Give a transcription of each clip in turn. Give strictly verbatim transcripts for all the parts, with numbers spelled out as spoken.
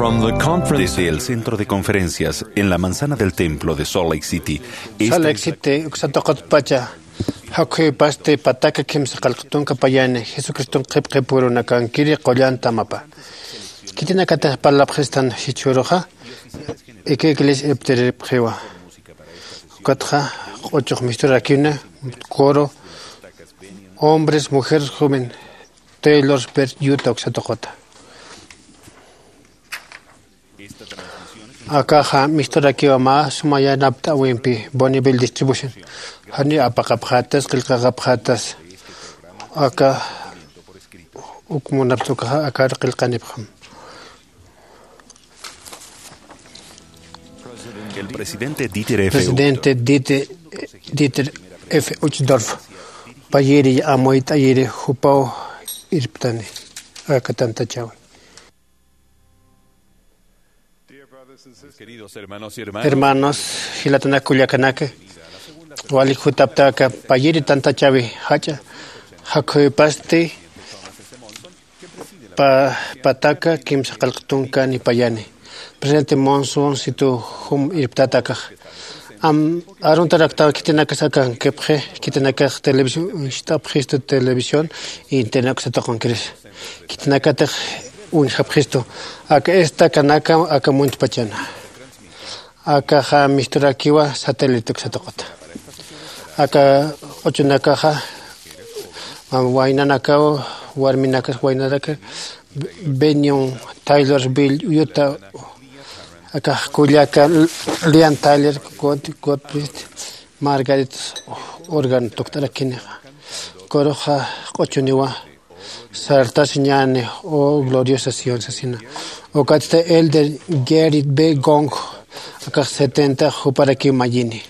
From the conference. Desde el centro de conferencias en la manzana del templo de Salt Lake City, esta Salt Lake City, uksa tuqitpacha, jakhuypasti pataka kimsa qillqa tunka payani, Jesucriston qhipqhipürunakankiri qullan tamapa. Khitinakatix parlapxistan jichhüruxa, ika iglesia irptiripxiwa. Ukatxa, q'uchux misturakiwna, coro, hombres, mujeres, joven, Taylor Swift, Utah, uksa tuqita. Akaxa misturakiwa mä suma yanapt'äwimpi, Bonneville Distribution. Janiw apaqapxätas, qillqaqapxätas. Aka uk munapxta ukaxa, akar qillqanipxam. El presidente Dieter F. Presidente Dieter, Dieter F. Uchtdorf, payiri amuyt'ayiri jupaw irptani, aka tantachäwi. Queridos hermanos y hermanas. Hermanos, jilatanak kullakanaka, wali jutaptaka payiri tantachäwi jach'a, jakhuypasti pa-, pataka kimsa qillqa tunkani payani. Presidente Monson situ jum irptata akax. Am, aruntaraktaw khitinakas akankipxi, khitinakax televisión, uñst'apxistu televisión, internet uksa tuqinkiris. Khitinakatix uñjapxistu. Aka estacanaka, aka muntpachana. Akaxa misturakiwa satélite uksa tuqita. Aka q'uchunakaxa, waynanakaw, warminakas waynanaka, Bennion, Taylorsville, Utah, akax kullaka, Lian Tyler, Scott, Scott Priest, Margaret Organ tukt'arakinixa. Kuruxa q'uchuniwa, Sartasi ñäni, o Gloriosa Sion sasina. Ukatsti Elder Gerrit B. Gong, akax setenta, juparakiw mayini.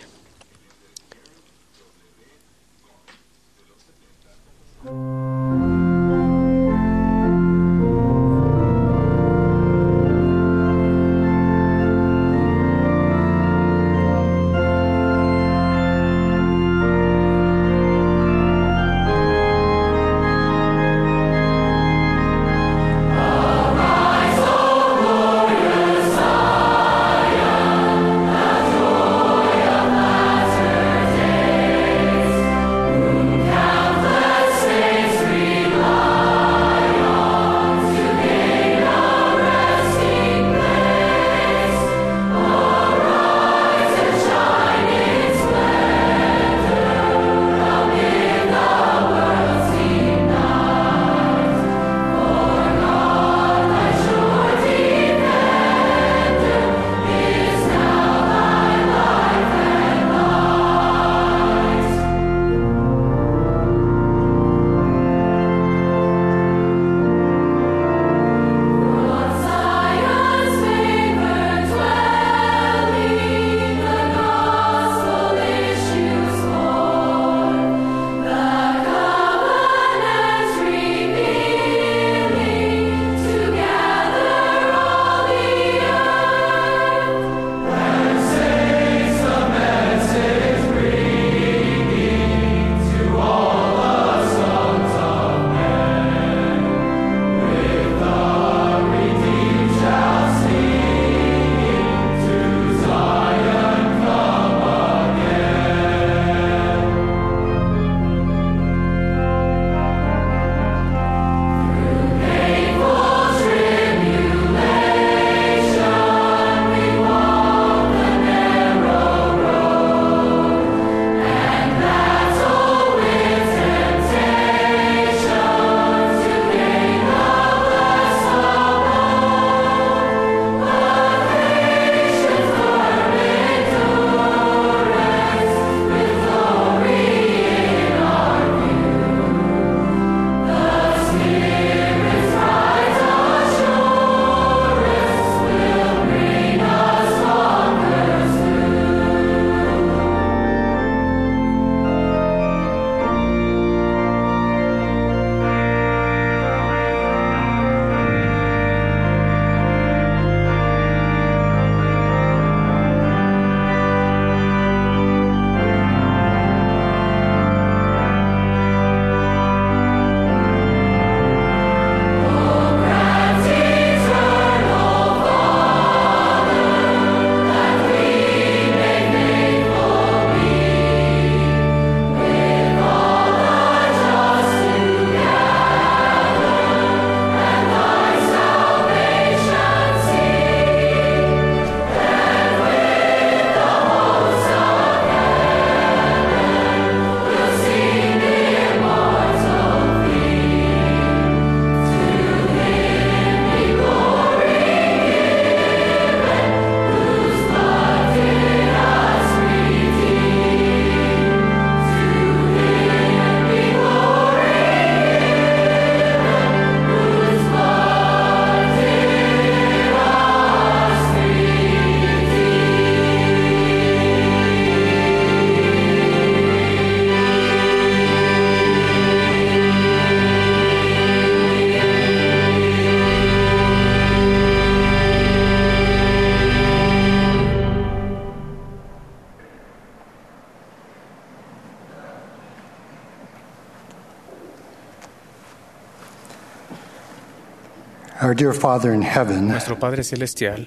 Our dear Father in heaven, Nuestro Padre Celestial,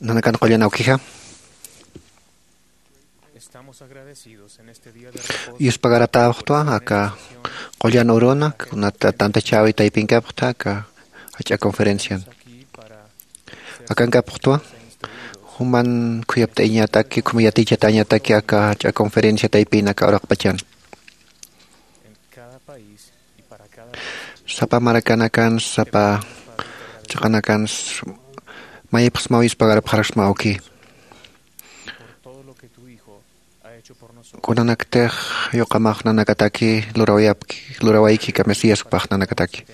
nanakan qullan awkija, estamos agradecidos en este día de reposo. Yuspagaratawxtwa aka qullan uruna, kunata tantachäwi taypinkapxta aka jach'a conferencian. Akankapuxtwa, juman khuyapt'ayañataki, khuma yatichatäñataki aka jach'a conferencia taypin aka uraqpachan. Sapa marakanakan, sapa chiqanakan, mayipxsmaw yuspagarapxarakisma awki. Kunanaktix yuqamax nanakataki lurawayapki, lurawayki aka Mesías jupax nanakataki.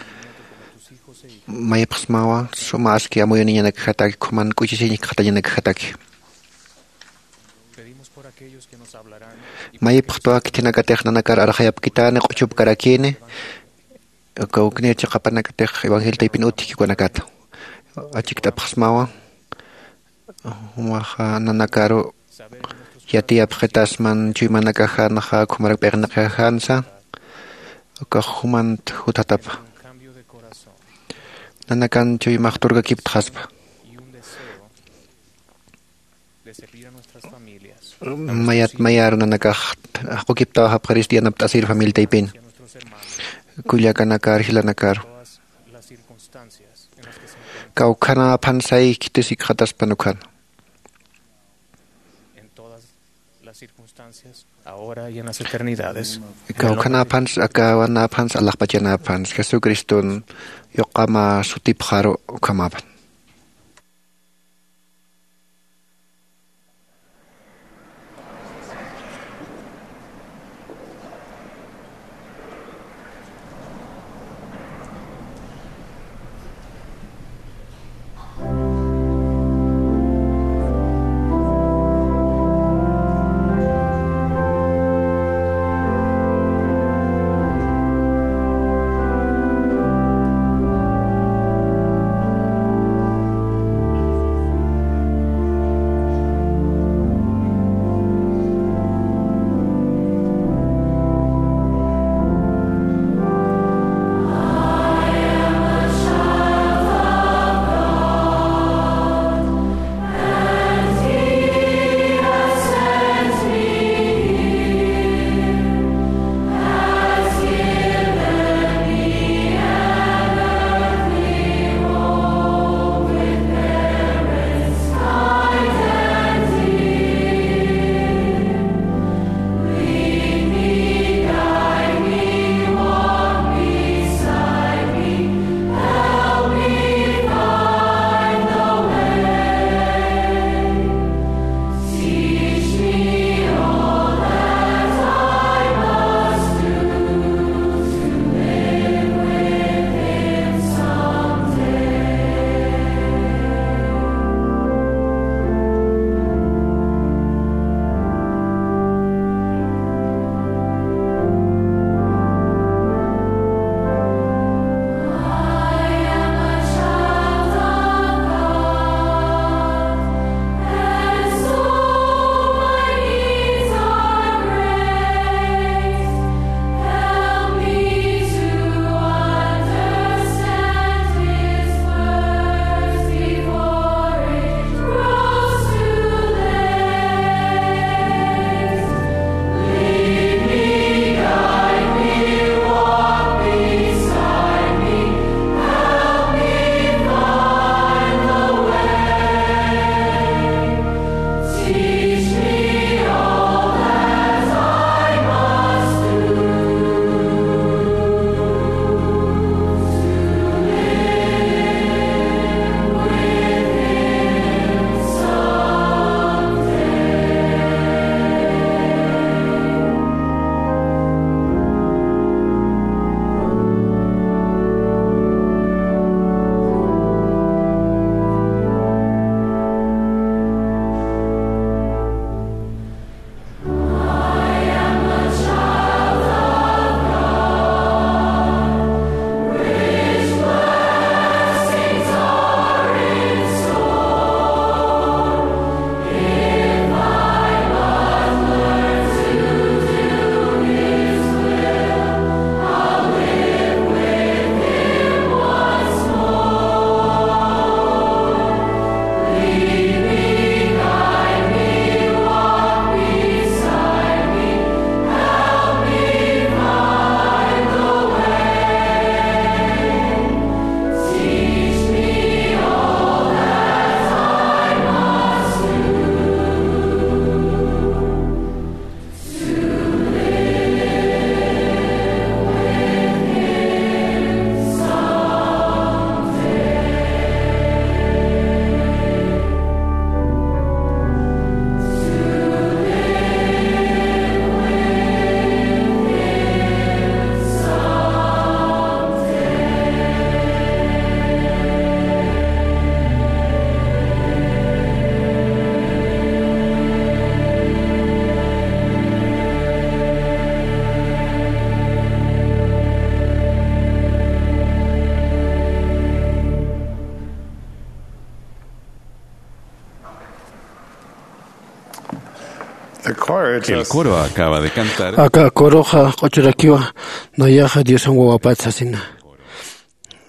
Mayipxsmawa suma aski amuyuniñanakjataki, khuman k'uchichañakjatañanakjataki. Mayipxtwa khitinakatix nanakar arxayapkitani, q'uchupkarakini, kawknir chiqapanakatix evangelio taypin utjki ukanakata. Achikt'apxsmawa, jumaxa nanakaru yatiyapxitasman chuymanakajanxa, khumarak p'iqinakajansa, ukax jumant jutjatapa. Nanakan chuymax turkakiptxaspa. Mayat mayar nanakax jaqukiptawapxaris yanapt'asir familia taypin. Kullakanakar, jilanakar. Kawkhanäphansay khitisikxataspan ukhana. Ahora y en las eternidades. Kawkhanäphans, akawanäphans, alaxpachanäphans, Jesucristun yuqama sutipxaru ukhamapan. El coro acaba de cantar. Aka koroxa q'uchurakiwa nayaxa Diosan wawapat sasina.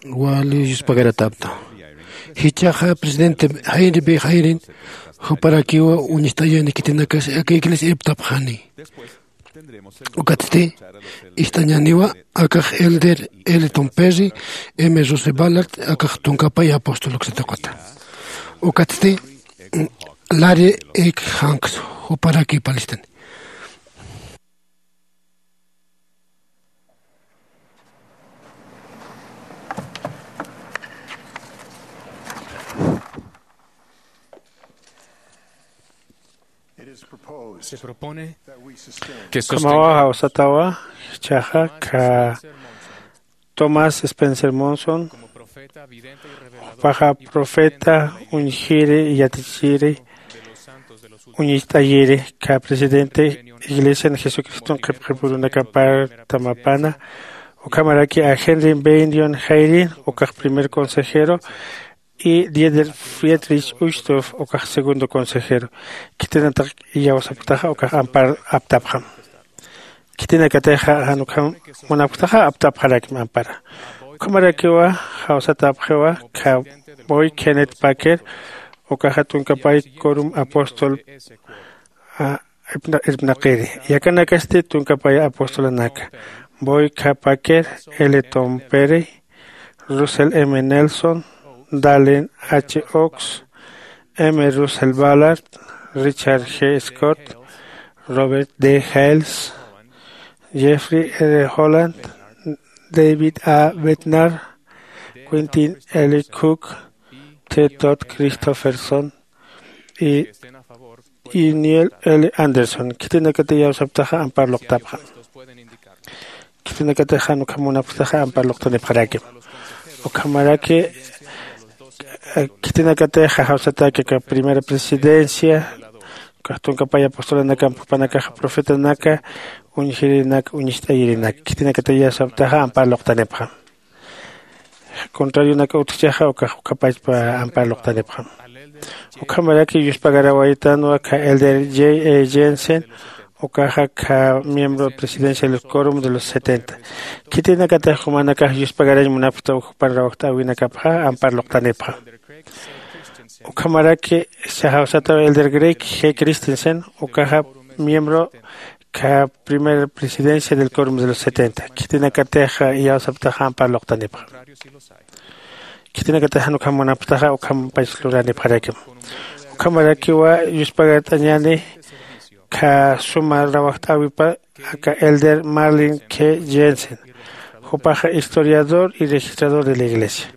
Wali yuspagaratapta. Jichaxa presidente Jair B. Jairin juparakiwa uñist'ayani khitinakas aka iglesia iptapxani. Ukatsti ist'añaniwa akax elder Elton Perry, M. Russell Ballard, akax tunkapay apóstol uksataqata. Ukatsti Larry H. Hanks juparaki palistan. Se propone que ukhamawa sostengamos jawsatawa chaxa ka Thomas Spencer Monson, jupaxa profeta, uñjiri, yatichiri, uñist'ayiri, ka presidente Iglesian Jesucriston qhipqipurunakapar tamapana, ukhamaraki a Henry Bennion Jairin, ukax primer consejero, y Dieter Friedrich Uchtdorf, ukax segundo consejero. Khitinataq iyawsapktaxa ukax ampar aptapxam. Khitinakatixa jan ukham munapktaxa aptapxarakim ampara. Ukhamarakiwa jawsatapxiwa ka Boyd Kenneth Packer, ukaxa tunkapay quorum apóstol, a, irpna-, irpnaqiri. Yakanakasti tunkapay apostolanaka. Boyd K. Packer, Elton Perry, Russell M. Nelson, Dallin H. Oaks, M. Russell Ballard, Richard G. Scott, Robert D. Hales, Jeffrey R. Holland, David A. Bednar, Quentin L. Cook, T. Todd Christofferson, y, y Neil L. Anderson. Khitinakati iyawsapktaxa ampar luqtapxam. Khitinakatixa jan ukham munapktaxa ampar luqtanipxarakim. Ukhamaraki, eh, khitinakatixa jawsataki ka primera presidencia, ka tunkapay apostolanakamp jupanakaxa profetanaka, uñjirinak, uñist'ayirinaka. Khitinakati iyawsapktaxa ampar luqtanipxam. Contrarionaka utjchaxa ukax ukhapachpa ampar luqtanipxam. Ukhamaraki yuspagarawaytanwa ka elder J. A. Jensen, ukaxa ka miembro presidencia del quorum de los setenta. Khitinakatix jumanakax yuspagarañ munapkta jupan rawajt'äwinakapxa ampar luqtanipxam. Ukhamaraki jawsataw elder Greg G. Christensen, ukaxa miembro ka primera presidencia del quorum de los setenta. Khitinakatixa iyawsapktaxa ampar luqtanipxam. Khitinakatix jan ukham munapktaxa ukhampach luranipxarakim. Ukhamarakiwa yuspagart'añäni ka suma rawajt'äwipa aka elder Marlin K. Jensen. Jupaxa historiador y registrador de la iglesia.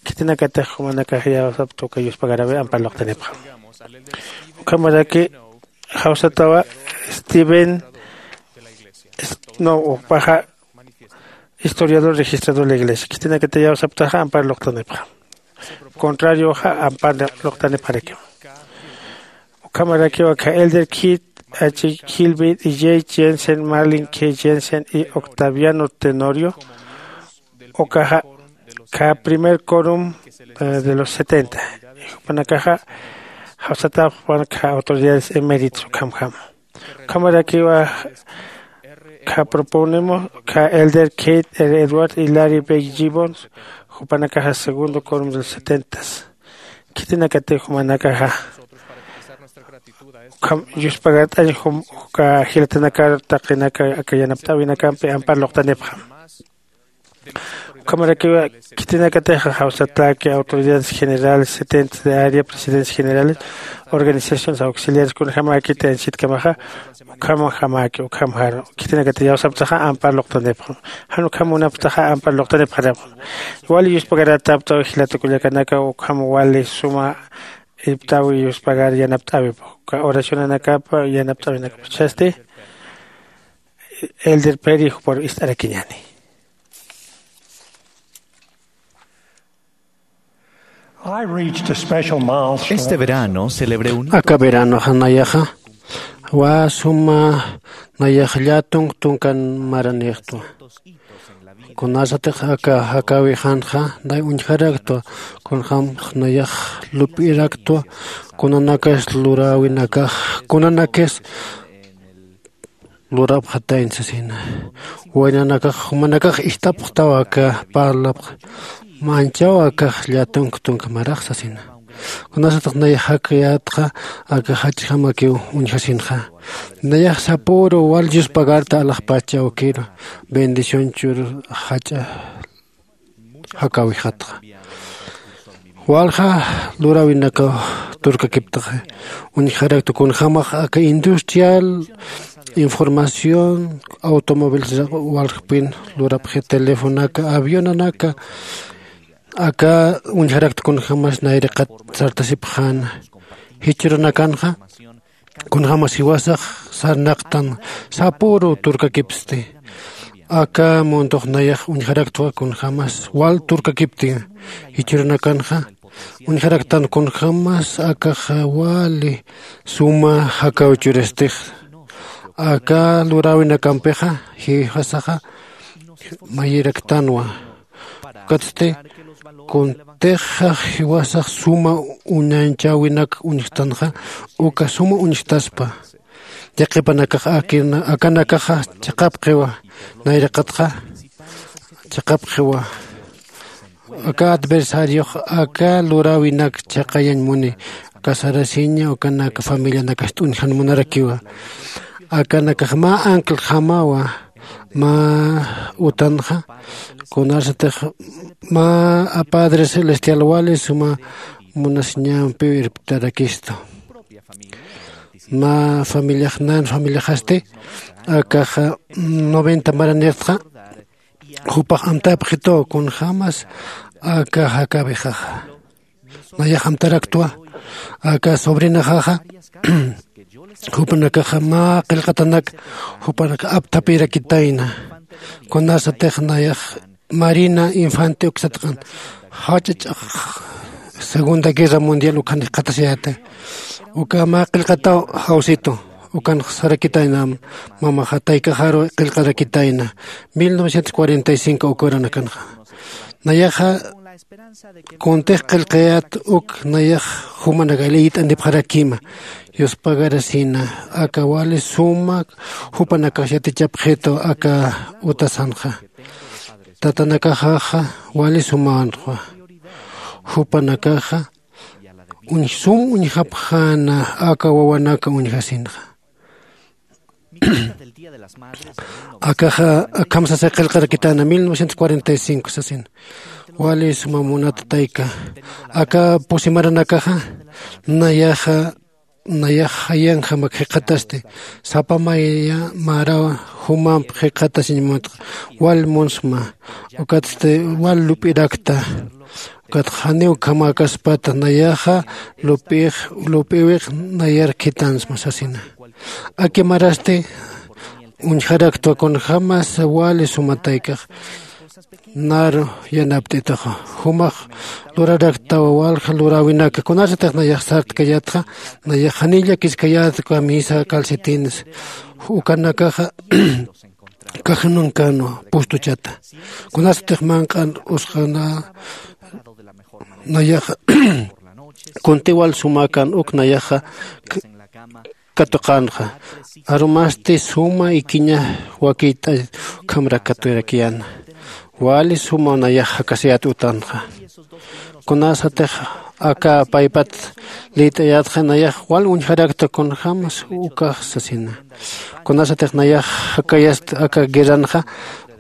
Khitinakatix jumanakax iyawsapkta uka yuspagarawi ampar luqtanipxam. Ukhamaraki jawsatawa Steven, no, jupaxa historiador registrador de la iglesia. Khitinakati iyawsapktaxa ampar luqtanipxam. Contrarioxa ampar luqtanipxarakim. Ukhamarakiwa ka elder Keith H. Kilby y J. Jensen, Marlin K. Jensen y Octaviano Tenorio, ukaxa ka primer quorum, eh, de los setenta. Jupanakaxa jawsatapxpan ka autoridades eméritos ukhamjam. Ukhamarakiwa ka proponemos ka elder Keith R. Edwards y Larry B. Gibbons, jupanakaxa segundo quorum de los setentas. Khitinakati jumanakaxa ukham yuspagart'añ jum, uka jilatanakar taqinaka aka yanapt'äwinakampi ampar luqtanipxam. Ukhamarakiwa khitinakatixa jawsataki autoridades generales, setentes de área, presidencias generales, organizaciones auxiliares, kunjamäkiti anchitkamaxa, ukhamjamaki, ukhamjaru. Khitinakati iyawsapktaxa ampar luqtanipxam. Jan ukham munapktaxa ampar luqtanipxarapxam. Wali yuspagaratapktaw jilata kullakanaka, ukham wali suma irpt'äwi yuspagar yanapt'äwipx. Uka oracionanakapa yanapt'äwinakapachasti, elder Perry juparu ist'arakiñäni. I reached a special milestone. Este verano celebré un hito. Aka veranoxa nayaxa, wa suma nayax llätunk tunkan maranïxtwa. Kunasatix aka jakäwixanxa, nay uñjaraktwa, kunjam nayax lup'iraktwa, kunanakas luräwinakax, kunanakas lurapxatayna sasina. Waynanakax jumanakax ist'apxtaw aka parlapxa manchaw akax llatunk tunka marax sasina. Kunasataq nayax jakayätxa aka jachjamakiw uñjasinxa. Nayax sapüru wal dios pagarta alaxpacha awkiru bendición chur jach'a jakäwixatxa. Walja luräwinakaw turkakiptaxa uñjarakta kunjämax aka industrial información automóviles waljpin lurapxi telefonaka avionanaka aka uñjarakta kunjämas nayraqat sartasipxäna. Jichhürunakanxa kunjämas jiwasax sarnaqtan sapüru turkakipsti. Aka muntox nayax uñjaraktwa kunjämas wal turkakiptin jichhürunakanxa uñjaraktan kunjämas akax wali suma jakäw churistix. Aka luräwinakampixa jiwasaxa mayiraktanwa. Ukatsti kuntix jiwasax suma uñanchäwinak uñjtanxa uka suma uñjtaspa. Yaqhipanakax akanakaxa chiqapxiwa nayraqatxa chiqapxiwa. Aka adversariox aka luräwinak chiqayañ muni aka sarasiña ukanak familianakax t'uñjan munarakiwa. Akanakax mä anclajamawa mä utanxa kunarsatix mä apadre celestial wali suma munasiñampiw irptarakistu. Mä familiax nan familiaxasti akaxa noventa maranirtxa jupax amtapxituw kunjämas aka jakawixaxa. Nayax amtaraktwa aka sobrinaxaxa jupanakaxa mä qillqatanak jupanakax apthapirakitayna. Kunasatix nayax marina infante uksatqan jach'a ch'ax segunda guerra mundial ukhan jikxatasiyäta. Uka mä qillqataw jawsitu ukan sarakitayna mamaxa taykaxaru qillqarakitayna. Mil novecientos cuarenta y cinco uka uranakanxa nayaxa kuntix qillqayät uk nayax jumanaka liyt'anipxarakima yuspagarasina aka wali suma jupanakax yatichapxitu aka utasanxa. Tatanakaxaxa wali sumanxwa jupanakaxa sum uñjapxäna aka wawanaka uñjasinxa. Akaxa akham sasay qillqarakitana mil novecientos cuarenta y cinco sasin. Wali suma munata tayka aka pusi maranakaxa nayaxa nayax jayanjamak jikxatasti sapa maya marawa jumamp jikxatasiñ munatxa wal munsma. Ukatsti wal lup'irakta ukatxa janiw khamäkaspata nayaxa lup'ix lup'iwix nayar khitansma sasina. Aki marasti uñjaraktwa kunjämas wali sumataykax naru yanapt'itaxa jumax luraraktawa walja luräwinaka kunasatix nayax sartkayätxa nayax janiw llakiskayätwa misa calcetines ukanakaxa cajanunkanwa pustuchata. Kunasatix manq'an usqana nayax kuntiwal sumakan uk nayaxa katuqanxa arumasti suma ikiña wakiyt'a ukhamrak katurakiyäna. Wali suma nayax jakasiyät utanxa kunasatix aka paypat lït'ayätxa nayax wal uñjarakta kunjämas ukax sasina. Kunasatix nayax jakayast aka guerranxa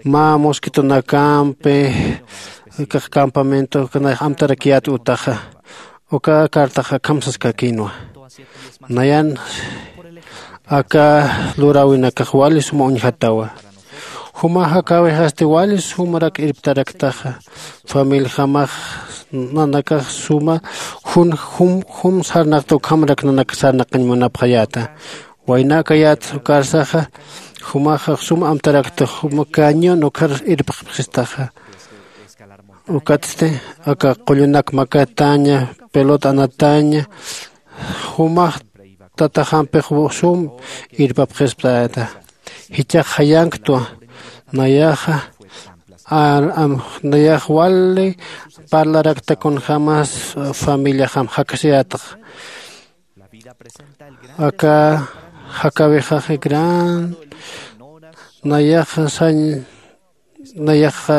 mä mosquitonakampi campamento nayax amtarakiyät utaxa uka cartaxa akham saskakïnwa. Nayan aka luräwinakax wali suma uñjatawa. Juma jakäwixasti wali sumarak irptaraktaxa familijamax nanakax suma jun jum jum sarnaqta ukhamrak nanakax sarnaqañ munapxayäta. Waynäkayät ukarsaxa jumaxa sum amtarakta juma cañón ukhar irpxpxistaxa. Ukatsti aka qullunak makataña pelota anataña jumax tataxampix sum irpapxisptayäta. Jichhax jayanktwa nayaxa nayax wali parlarakta kunjämas familiaxam jakasiyätxa. Aka Jakawixaxa gran nayaxa sañ nayaxa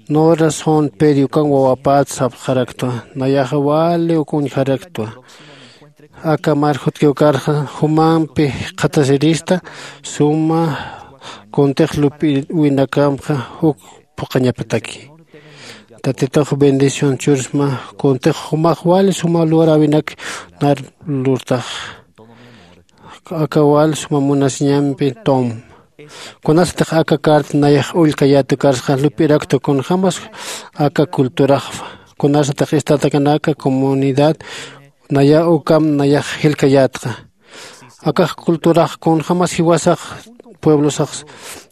nora son periukan wawapät sapxaraktwa. Nayaxa wali uk uñjaraktwa. Aka marjutkiw karxa jumampi qhatasirista suma kuntix lup'iwinakamxa juk phuqañapataki. Tatitux bendición chursma kuntix jumax wali suma luräwinak nar lurtax. Aka wal suma munasiñampi tom kunasatix aka carta nayax ullkayätu karsxa lup'iraktu kunjämas aka culturaxfa. Kunasatix estatakanaka comunidad naya ukam nayax jilkayätxa. Akax culturax kunjämas jiwasax pueblosax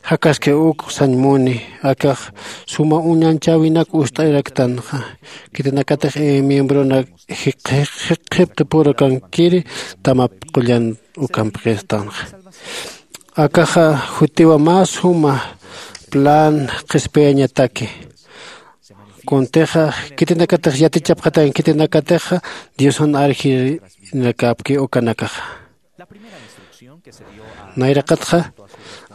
jakaski uk sañ muni. Akax suma uñanchäwinak ust'araktanxa. Khitinakatix miembronak jikxipxipurakankkiri tamap qullan ukampxistanxa. Akaxa jutiwa mä suma plan qhispiyañataki. Kuntixa khitinakatix yatichapxatañ khitinakatixa diosan arjirinakäpki ukanakaxa. Nayraqatxa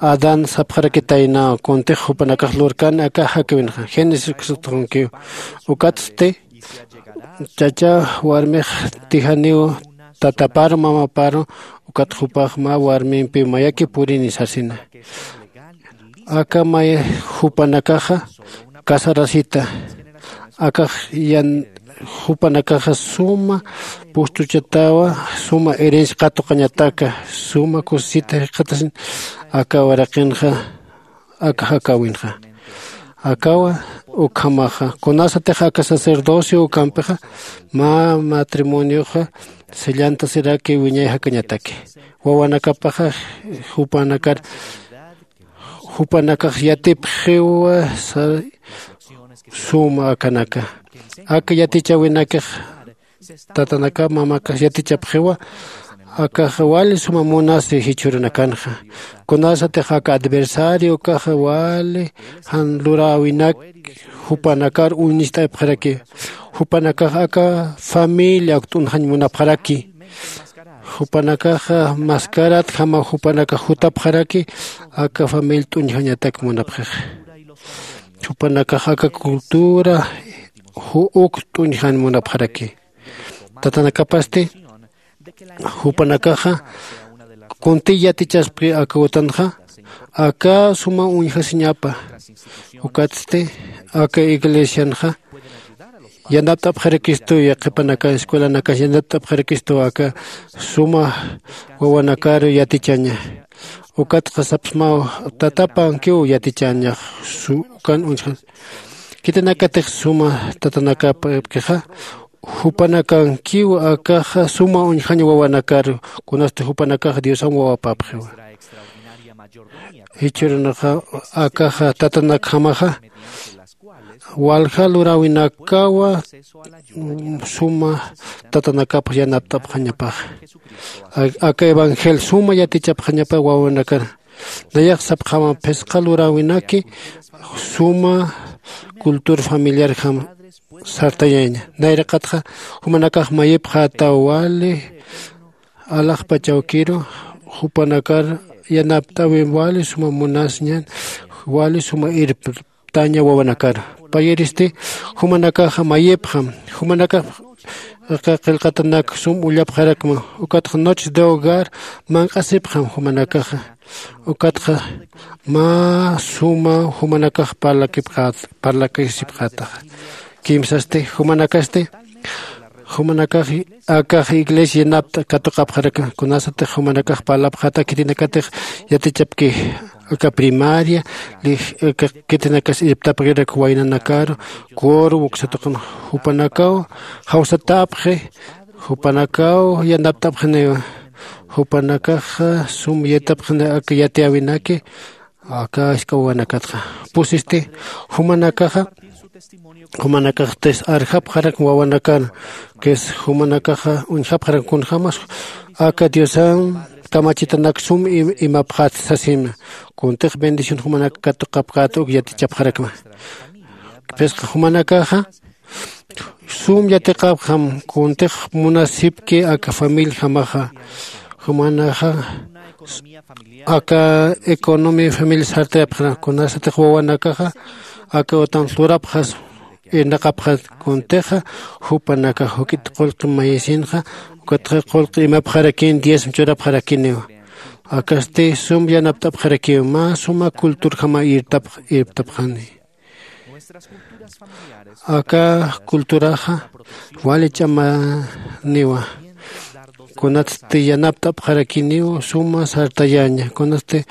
adán sapxarakitaynaw kuntix jupanakax lurkan aka jakiwinxa génesis uksutunkiw. Ukatsti chacha warmix tijaniw tataparu mamaparu ukat jupax mä warmimpiw mayaki purini sasina. Aka may jupanakaxa casarasita akax yan jupanakaxa suma pustuchatawa suma herencia qatuqañataka suma kusisita jikxatasin. Aka waraqinxa aka jakawinxa akawa ukhamaxa kunasatix aka sacerdocio ukampixa mä matrimonioxa sellantasiraki wiñay jakañataki. Wawanakapaxa jupanakar jupanakax yatipxiwa suma akanaka aka yatichäwinakix tatanaka mamakax yatichapxiwa. Akaxa wali suma munasi jichhürunakanxa kunasatix aka adversario ukaxa wali jan luräwinak jupanakar uñist'apxaraki. Jupanakax aka familia ukt'unxañ munapxaraki. Jupanakaxa mascaratjama jupanakax jutapxaraki aka familia t'uñjañatak munapxixa. Jupanakax aka cultura uk t'uñjan munapxaraki. Tatanakapasti jupanakaxa kuntiy yatichaspki aka utanxa aka suma uñjasiñapa. Ukatsti aka iglesianxa yanapt'apxarakistu yaqhipanaka escuelanakas yanapt'apxarakistu aka suma wawanakaru yatichaña. Ukatxa sapsmaw tatapankiw yatichañax ukan uñja. Khitinakatix suma tatanakapkixa jupanakankiw akaxa suma uñjañ wawanakaru kunasti jupanakax diosan wawapapxiwa. Jichhürunaxa akaxa tatanakjamaxa walja luräwinakawa suma tatanakapx yanapt'apxañapaxa. Aka evangel suma yatichapxañapa wawanakar nayax sapxama phisqa luräwinaki suma cultura familiarjam sartayaña. Nayraqatxa jumanakax mayipxätaw wali alaxpachawkiru jupanakar yanapt'äwi wali suma munasiñan wali suma irptaña wawanakar. Payiristi jumanakaxa mayipxam jumanakax qillqatanak sum ullapxarakma. Ukatxa noches de hogar manq'asipxam jumanakaxa. Ukatxa mä suma jumanakax parlakipxät parlakisipxätaxa. Kimsasti jumanakasti jumanakax akax iglesia yanapt'a katuqapxaraka. Kunasatix jumanakax parlapxäta khitinakatix yatichapki aka primaria khitinakas irptapxirak waynanakaru coro wuksatuqan jupanakaw jawsatäpxi. Jupanakaw yanapt'apxiniwa jupanakaxa sum yatapxini aka yatiyäwinaki. Aka ask'a wawanakatxa pusisti jumanakaxa jumanakaxtis arjapxarak wawanakar ques jumanakaxa uñjapxarak kunjämas aka diosan kamachitanak sum imapxät sasima. Kuntix bendición jumanak katuqapxät uk yatichapxarakma. Phisqa jumanakaxa sum yatiqapxam kuntix munasipki aka familiajamaxa. Jumanaxa aka economía familia sartayapxana, kunasatix wawanakaxa aka utam lurapxas irnaqapxat, kuntixa jupanakax juk'it qullqi mayisinxa ukatxa qullqi imapxarakin diezmo churapxarakiniwa. Akasti sum yanapt'apxarakiw mä suma culturjama irtapxani. Aka culturaxa wali ch'amaniwa, kunatsti yanapt'apxarakiniw suma sartayaña, kunatsti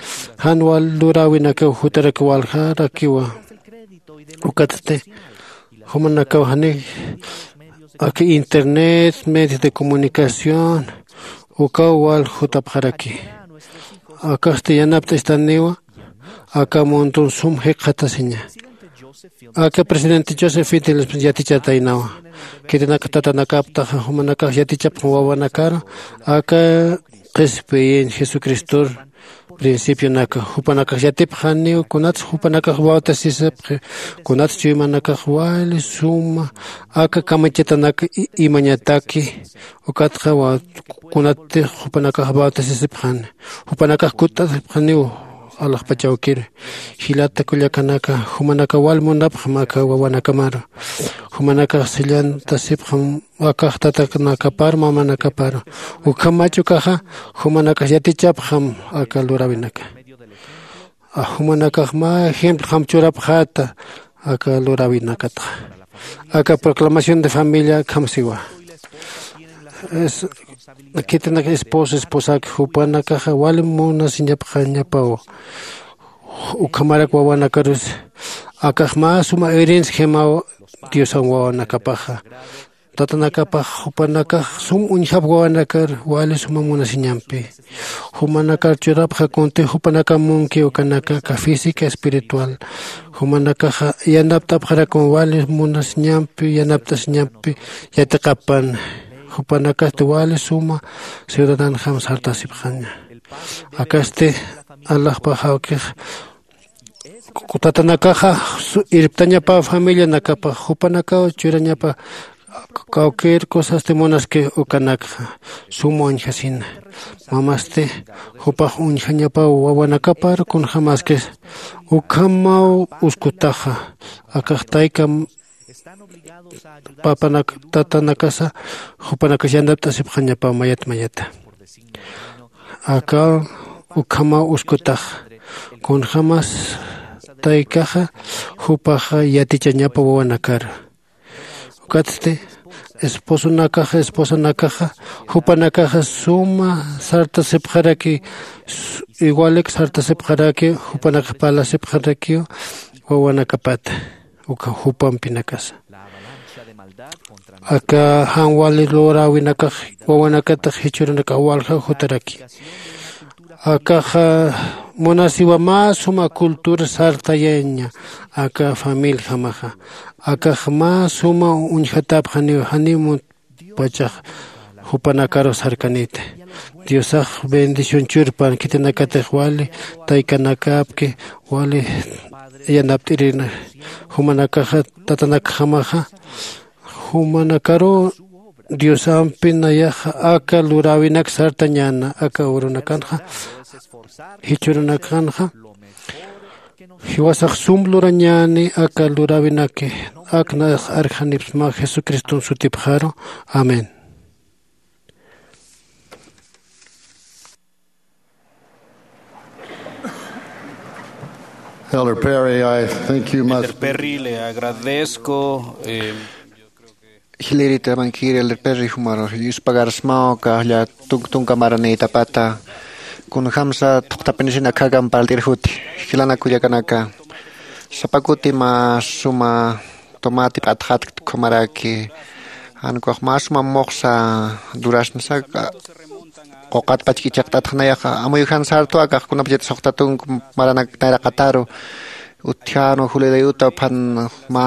jan wal luräwinakaw jutarak waljarakiwa. Ukatsti jumanakaw jani aka internet medios de comunicación ukaw wal jutapxaraki. Akasti yanapt'istaniwa aka mundun sum jikxatasiña. Aka presidente Joseph Fidel yatichataynawa. Khitinaka tatanakaptaxa jumanakax yatichapxam wawanakaru aka qhispiyin Jesucristor principionaka. Jupanakax yatipxaniw kunats jupanakax bautisisipxi, kunats chuymanakax wali suma aka kamachatanak imañataki. Ukatxa kunatix jupanakax bautisisipxani, jupanakax kutt'asipxaniw alaxpachawkir. Jilata kullakanaka, jumanaka wal munapxam aka wawanakamaru. Jumanakax sillantasipxam akax tatanakapar mamanakapar. Ukham machukaxa jumanakax yatichapxam aka luräwinaka. Jumanakax mä ejemplojam churapxäta aka luräwinakatxa. Aka proclamación de familia akham siwa. Khitinaka esposo esposak jupanakaxa wali munasiñapxañapaw ukhamarak wawanakarus. Akax mä suma herencia jimaw diosan wawanakapaxa. Tatanakapax jupanakax sum uñjap wawanakar wali suma munasiñampi. Jumanakar churapxa kunti jupanakam munki ukanaka aka física espiritual. Jumanakaxa yanapt'apxarakun wali munasiñampi yanapt'asiñampi yatiqapan. Jupanakasti wali suma ciudadanjam sartasipxaña. Akasti alaxpaxawkix tatanakaxa irptañapa familianakapax jupanakaw churañapa cualquier cosasti munaski ukanakxa suma uñjasina. Mamasti jupax uñjañapaw wawanakapar kunjamaskis ukhamaw uskutaxa. Akax tayka papanak tatanakasa jupanakas yanapt'asipxañapaw mayat mayata. Aka ukhamaw uskutax kunjamas taykaxa jupaxa yatichañapa wawanakar. Ukatsti esposonakaxa esposanakaxa jupanakaxa suma sartasipxaraki, igualik sartasipxaraki jupanakax parlasipxarakiw wawanakapata uka jupampinakasa. Aka jan wali luräwinakax wawanakatax jichhürunakax walja jutaraki. Akaxa munasiwa mä suma cultura sartayaña aka familiajamaxa. Akax mä suma uñjatäpxaniw janiw munpachax jupanakaru sarkaniti. Diosax bendición churpan khitinakatix wali taykanakapki wali yanapt'irina. Jumanakaxa tatanakjamaxa jumanakaru diosampi nayaxa aka luräwinak sartañäna aka urunakanxa jichhürunakanxa jiwasax sum lurañäni aka luräwinaki. Ak nayax arjanipsma jesucriston sutipxaru. Amén. Elder Perry, I think you must. Elder Perry, le agradezco. Eh, jilirita mankir Elder Perry jumaru yuspagarsmaw kajlla tunk tunka maranitapata. Kunjamsa thuqtapinisin akhakamparltir juti jilana kullakanaka. Sapakuti mä suma tomati p'atxatkt khumaraki. Jan ukax mä suma muxsa durasnsa quqat pachki ichaqt'atxnayaxa amuyujan sartu akax kunapachat suxta tunk maranak nayraqataru. Utjanu julilayuta uphan mä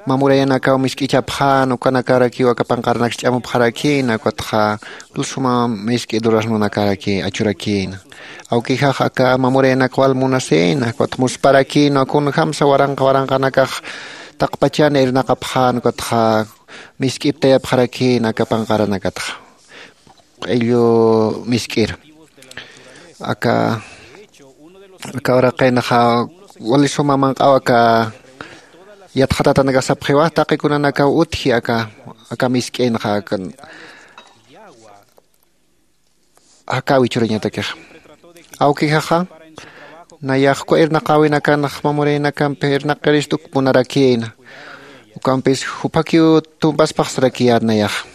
mamurayanakaw misk'ichapxan ukanakarakiw aka panqaranak ch'amupxarakïna ukatxa suma misk'i durasnunakaraki achurakïna. Awkixax aka mamurayanak wal munasïna ukatxa musparakïna kunjamsa waranqa waranqanakax taqpachani irnaqapxän ukatxa misk'iptayapxarakïna aka panqaranakatxa. q'illu misk'ir. Aka aka uraqinxa wali suma manq'aw aka yatxatatanakax sapxiwa taqi kunanakaw utji aka aka misk'inxa aka jakäwi churañatakixa. Awkixaxa nayax uka irnaqäwinakanx mamuraynakampi irnaqirist uk munarakïna. Ukampis juphakiw tumpaspaxsarakiyät nayaxa.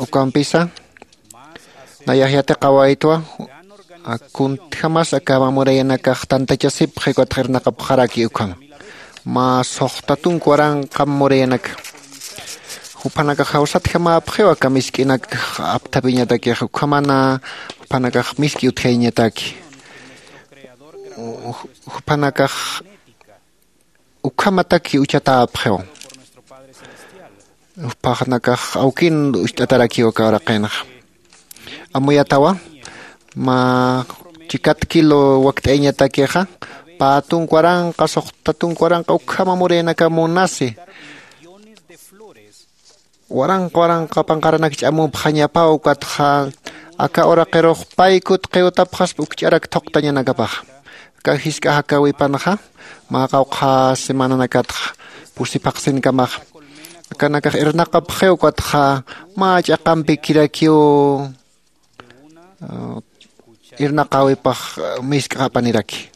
Ukampisa nayax yatiqawaytwa kuntjamas aka mamurayanakax tantachasipxi ukatxa irnaqapxaraki ukham. Mä suxta tunka waranqa mamurayanaka juphanakax jawsatjamäpxiw aka misk'inak apthapiñatakix ukhamana juphanakax misk'i utjayañataki. Juphanakax ukhamataki uchatäpxiw. Juphanakax awkin ucht'atarakiw aka uraqinxa. Amuyatawa mä chikat kilo wakt'ayañatakixa pä tunka waranqa suxta tunka waranqa ukhama murayanakamp munasi waranqa waranqa panqaranak ch'amupxañapaw ukatxa aka uraqirux pay kutqiw utapxaspa uk ch'arak thuqtañanakapaxa. Aka jisk'a jakäwipanxa mä qawqha semananakatxa pusi phaqsinkamaxa akanakax irnaqapxiw ukatxa mä ch'aqampikirakiw irnaqäwipax misk'apaniraki.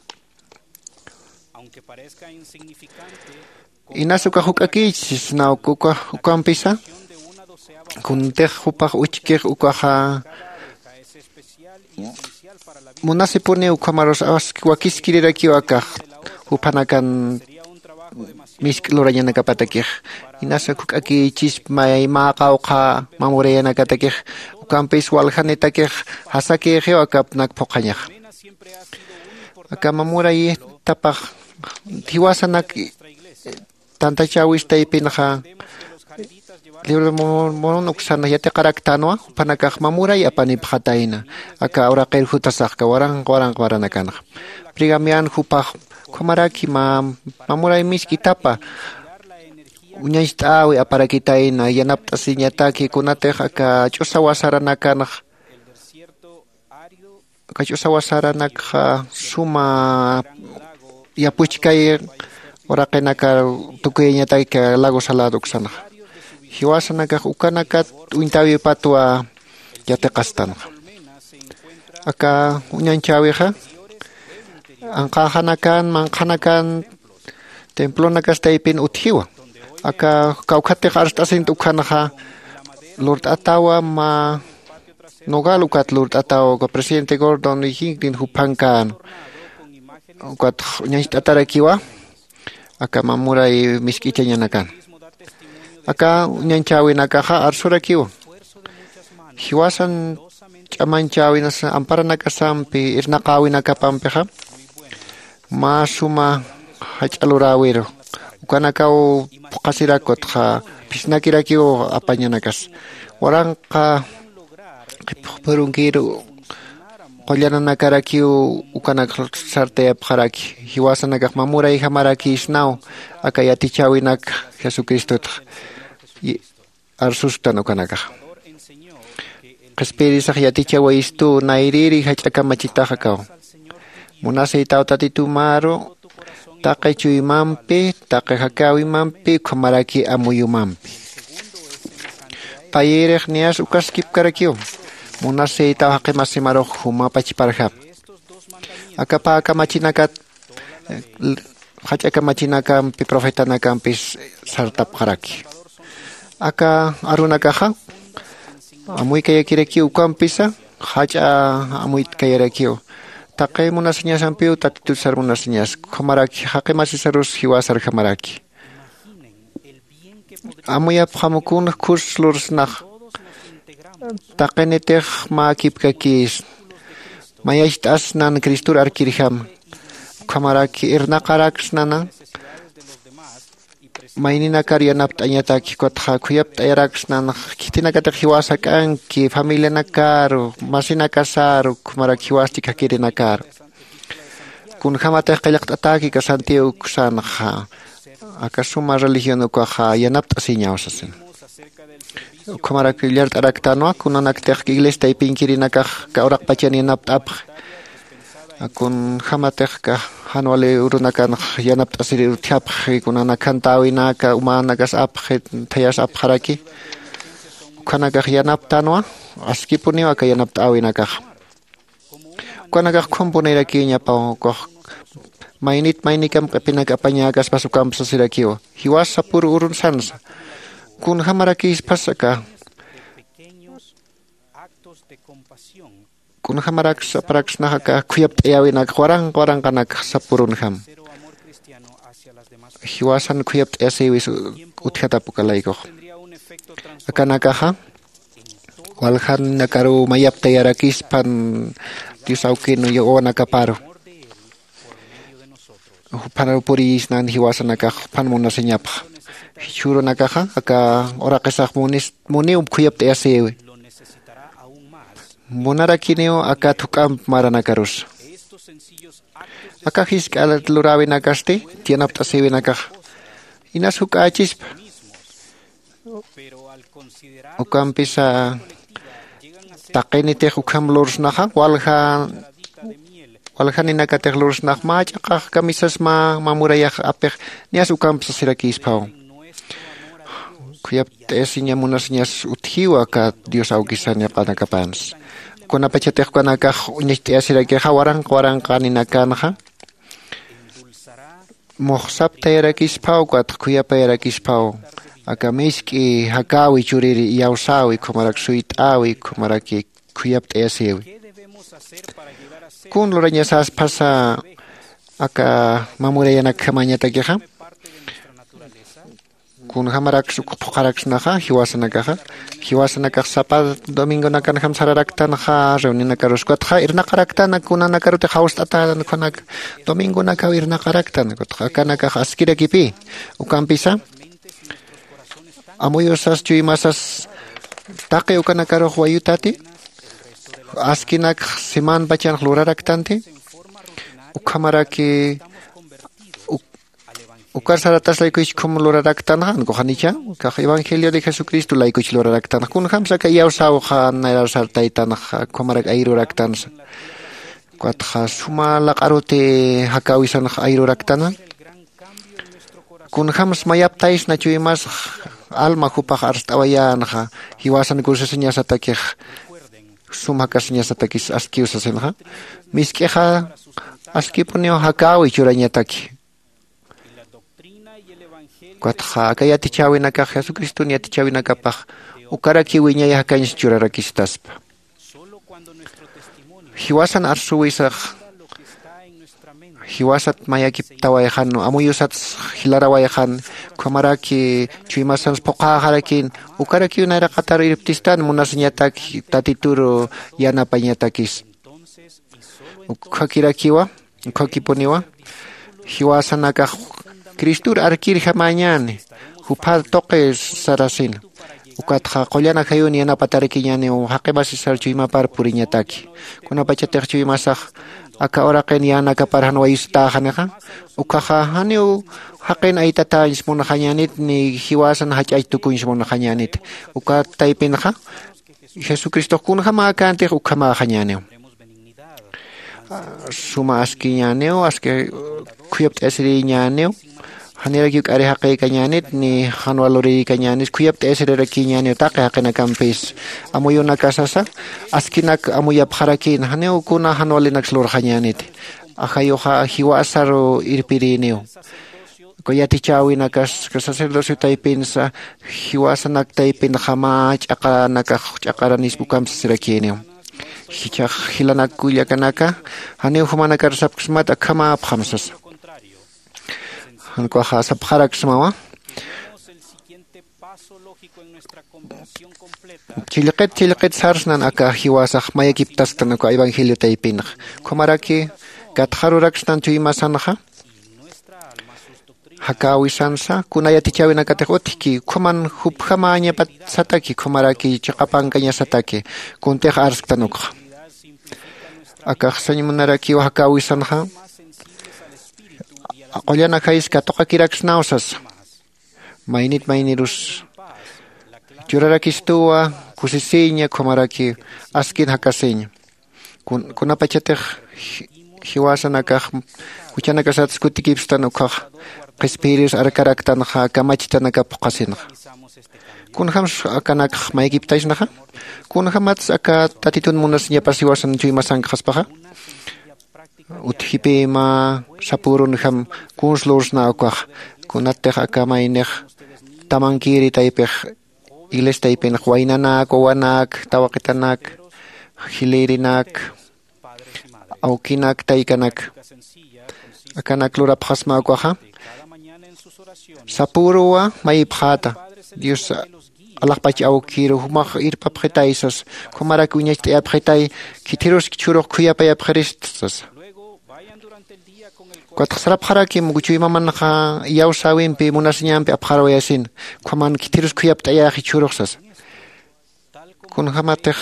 Inas ukax juk'akïchis sna ukampisa kuntix jupax uchkix ukaxa munasipuniw ukhamarus wakiskirirakiw akax juphanakan misk'i lurañanakapatakix. Inas juk'akïchisp may mä qawqha mamurayanakatakix ukampis waljanitakix jasakïxiw akapnak phuqhañaxa. Aka mamurayitapax jiwasanak tantachäwistaypinxa libro de mormon uksan yatiqaraktänwa juphanakax mamuray apanipxatayna. Aka uraqir jutasaxka waranqa waranqa maranakanxa brigamian jupax ukhamaraki mä mamuray misk'itapa uñacht'äwi aparakitayna yanapt'asiñataki kunatix aka ch'usawa saranakanxa aka ch'usawa saranakxa suma yapuchkay uraqinakar tukuyañataki lago salado uksanxa. Jiwasanakax ukanakat uñtäwipatwa yatiqastanxa. Aka uñanchäwixa anqäxanakan manqhanakan templonakastaypin utjiwa. Aka kawkhatix arst'asint ukhanxa lurt'atawa mä nogal ukat lurt'ataw uka presidente gordon y hinklin juphankan ukatx uñacht'atarakiwa aka mamuray misk'ichañanakan. Aka uñanchäwinakaxa arsurakiwa jiwasan ch'amanchäwinas amparanakasampi irnaqäwinakapampixa mä suma jach'a luräwiru ukanakaw phuqhasirak ukatxa phisnakirakiw apañanakas waranqa qhipxpurunkiru qullananakarakiw ukanak sartayapxaraki jiwasanakax mamurayjamarakïsnaw aka yatichäwinak jesucristotxa arsustan ukanakaxa. Qhispiyirisax yatichawayistuw nayrïri jach'a kamachitax akaw munasïtaw tatitumaru taqi chuymampi taqi jakäwimampi ukhamaraki amuyumampi. Payïrix niyas ukaskipkarakiw munasïtaw jaqimasimarux juma pachparjam. Aka pä kamachinakat jach'a kamachinakampi profetanakampis sartapxaraki. Aka arunakaxa amuykayakirakiw ukampisa jach'a amuykayarakiw taqi munasiñasampiw tatitut sar munasiñas ukhamaraki jaqi masisarus jiwasarjamaraki. Amuyapxam kunx khus lursnax taqinitix mäkipkakïsna mayacht'asnan cristor arkirjama ukhamaraki irnaqaraksnana mayninakar yanapt'añataki ukatxa khuyapt'ayaraksnanx khitinakatix jiwas jak'anki familianakaru masinakasaru ukhamaraki jiwas chikjakirinakaru. Kunjämatix qillqt'atäki aka santiago uksanxa aka suma religión ukaxa yanapt'asiñaw sasina. Ukhamarak llart'araktanwa kunanaktix iglesia taypinkirinakax aka uraqpachan yanapt'apxi. Kunjämatix aka jan wali urunakanx yanapt'asiri utjapxi, kunanak jantäwinaka umänakas apxi, thayas apxaraki. Ukhanakax yanaptänwa, askipuniw aka yanapt'äwinakaxa. Ukanakax ukham punirakiñapaw, ukax maynit maynikam q'ipinak apañäkaspas ukamp sasirakiwa, jiwas sapür urun sansa. Kunjämarakïspas aka, kunjämarak sapxaraksnax aka khuyapt'ayäwinakax waranqa waranqanakax sapürunjam. Jiwasan khuyapt'ayasïwis utjatap uka laykux. Akanakaxa waljanakaruw mayaptayarakispan Dios awkin wawanakaparu. Jupharuw puriyisnan jiwasanakax juphan munasiñapxa. Jichhürunakaxa aka uraqisax munis- muniw khuyapt'ayasïwi. Munarakiniw aka thuk'amp maranakarusa. Aka jisk'a luräwinakasti yanapt'asïwinakaxa inas juk'ächispa. Ukampisa taqinitix ukham lursnaxa walja waljaninakatix lursnax mä ch'aqax kamisas mä mä murayax apix niyas ukamp sasirakïspaw. Khuyapt'ayasiña munasiñas utjiwa aka Dios awkisan yaqanakapansa. Kunapachatix ukanakax uñacht'ayasirakixa waranqa waranqaninakanxa muxsaptayarakispaw ukatx khuyapayarakispaw aka misk'i jakäwi churiri iyawsäwi ukhamarak suyt'äwi ukhamaraki khuyapt'ayasïwi. Kun lurañasäspasa aka mä murayanakjamäñatakixa? Kunjämaraks uk phuqharaksnaxa jiwasanakaxa, jiwasanakax sapa domingonakanjam sararaktanxa reunionakarus ukatxa irnaqaraktan kunanakarutix jawst'atänan ukhanak domingonakaw irnaqaraktan ukatxa akanakax askirakipï. Ukampisa amuyusas chuymasas taqi ukanakarux wayutati askinak semanpachanx luraraktanti. Ukhamaraki ukar saratas laykuchkhum luraraktanxa ankuxanicha kax evangelio de jesucristo laykuch luraraktanxa kunjamsa aka iyawsäwxa nayrar sartaytanxa ukhamarak ayruraktansa. Ukatxa suma laq'aruti jakäwisanx ayruraktana. Kunjams mayaptaysna chuymasx alma jupax arst'awayänxa jiwasan kusisiñasatakix sum jakasiñasatakis askiw sasinxa. Misk'ixa askipuniw jakäwi churañataki. Ukatxa aka yatichäwinakax jesucriston yatichäwinakapax ukarakiw wiñay jakañs churarakistaspa. Jiwasan arsuwisax jiwasat mayakiptawayxan amuyusats jilarawayxan ukhamaraki chuymasans phuqhäxarakin ukarakiw nayraqatar irptistan munasiñatak tatituru yanapañatakis. Ukkhakirakiwa ukkhakipuniwa jiwasanakax cristor arkirjamäñäni jupha tuqi sarasina. Ukatxa qullan ajayun yanapatarakiñäniw jaqi masisar chuymapar puriñataki. Kunapachatix chuymasax aka uraqin yänakapar jan wayusitäxanixa ukhaxa janiw jaqin aytatäñs munxañänit ni jiwasan jach'ach tukuñs munxañänit. Ukat taypinxa jesucristox kunjamäkäntix ukhamäxañäniw. Suma askiñäniw aski khuyapt'ayasirïñäniw. Janirakiw k'ari jaqïkañänit ni jan walurïkañänis khuyapt'ayasirirakiñäniw taqi jaqinakampis. Amuyunakasasa askinak amuyapxarakïn janiw kuna jan walinaks lurxañäniti. Ajayuxa jiwasaru irpirïniw. Uka yatichäwinakas sacerdocio taypinsa jiwasanak taypinxa mä ch'aqaranakax ch'aqaranispa ukamp sasirakïniw. Jichhax jilanak kullakanaka janiw jumanakar sapksmat akhamäpxam sasa. Jan ukaxa sapxaraksmawa chillqit chillqit sarsnan aka jiwasax mayakiptasktan uka evangelio taypinxa. Ukhamaraki katxaruraksnan chuymasanxa jakäwisansa kuna yatichäwinakatix utjki ukhaman jupjamäñapatsataki ukhamaraki chiqapankañasataki. Kuntix arsktan ukxa akax sañ munarakiw jakäwisanxa qullan ajayis katuqakiraksnaw sasa. Maynit maynirus Yurarakistuwa kusisiña, ukhamaraki askin jakasiña. Kun- kunapachatix ji- jiwasanakax juchanakasat skutikipstan ukkhax qhispiyiris arkaraktanxa, kamachitanakap phuqhasinxa. Kunjämsa akanakx maykiptaysnaxa? Kunjämatsa aka tatitun munasiñapas jiwasan chuymasankxaspaxa? Utjipi mä sapürunjam kuns lursna ukax, kunatix aka maynix tamankiri taypix iglesia taypinx waynanak, wawanak, tawaqitanak, jilïrinak, awkinak, taykanak, akanak lurapxasma ukaxa. Sapüruwa mayipxäta, Dios alaxpach awkiru jumax irpapxitay sas, ukhamarak uñacht'ayapxitay, khithirus jichhürux khuyapayapxirist sasa. Ukatxa sarapxarakim, chuymamanxa iyawsäwimpi munasiñampi apxarawayasina, ukhaman khithirus khuyapt'ayäxi jichhürux sasa. Kunjämatix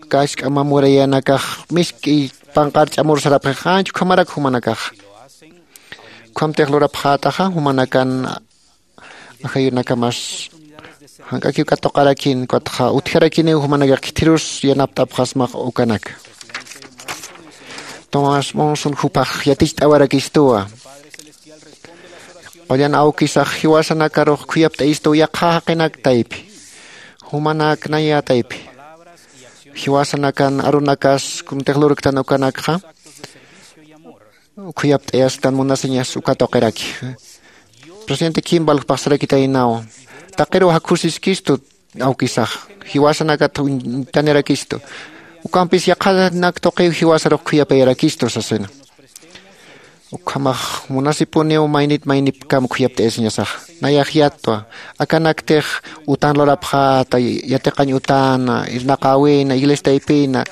aka jisk'a mä murayanakax misk'i panqar ch'amur sarapxix, ancha ukhamarak jumanakax. Ukhamtix lurapxätaxa, jumanakan ajayunakamas jank'akiw katuqarakin, ukatxa utjarakiniw jumanakax khithirus yanapt'apxasmax ukanaka. Tomás Monson jupax yaticht'awarakistuwa. Qullan awkisax jiwasanakarux khuyapt'ayistuw yaqha jaqinak taypi, jumanak naya taypi. Jiwasanakan arunakas kuntix lurktan ukanakxa, khuyapt'ayastan munasiñas uka tuqiraki. Presidente Kimball jupax sarakitaynawa, taqiruw jakhusiskistu awkisax, jiwasanakat uñtanirakistu, ukampis yaqhanak tuqiw jiwasarux khuyapayarakistu sasina. Ukhamax munasipuniw maynit maynipkam khuyapt'ayasiñasaxa. Nayax yattwa, akanaktix utan lurapxäta, yatiqañ utana, irnaqäwina, iglesia taypina,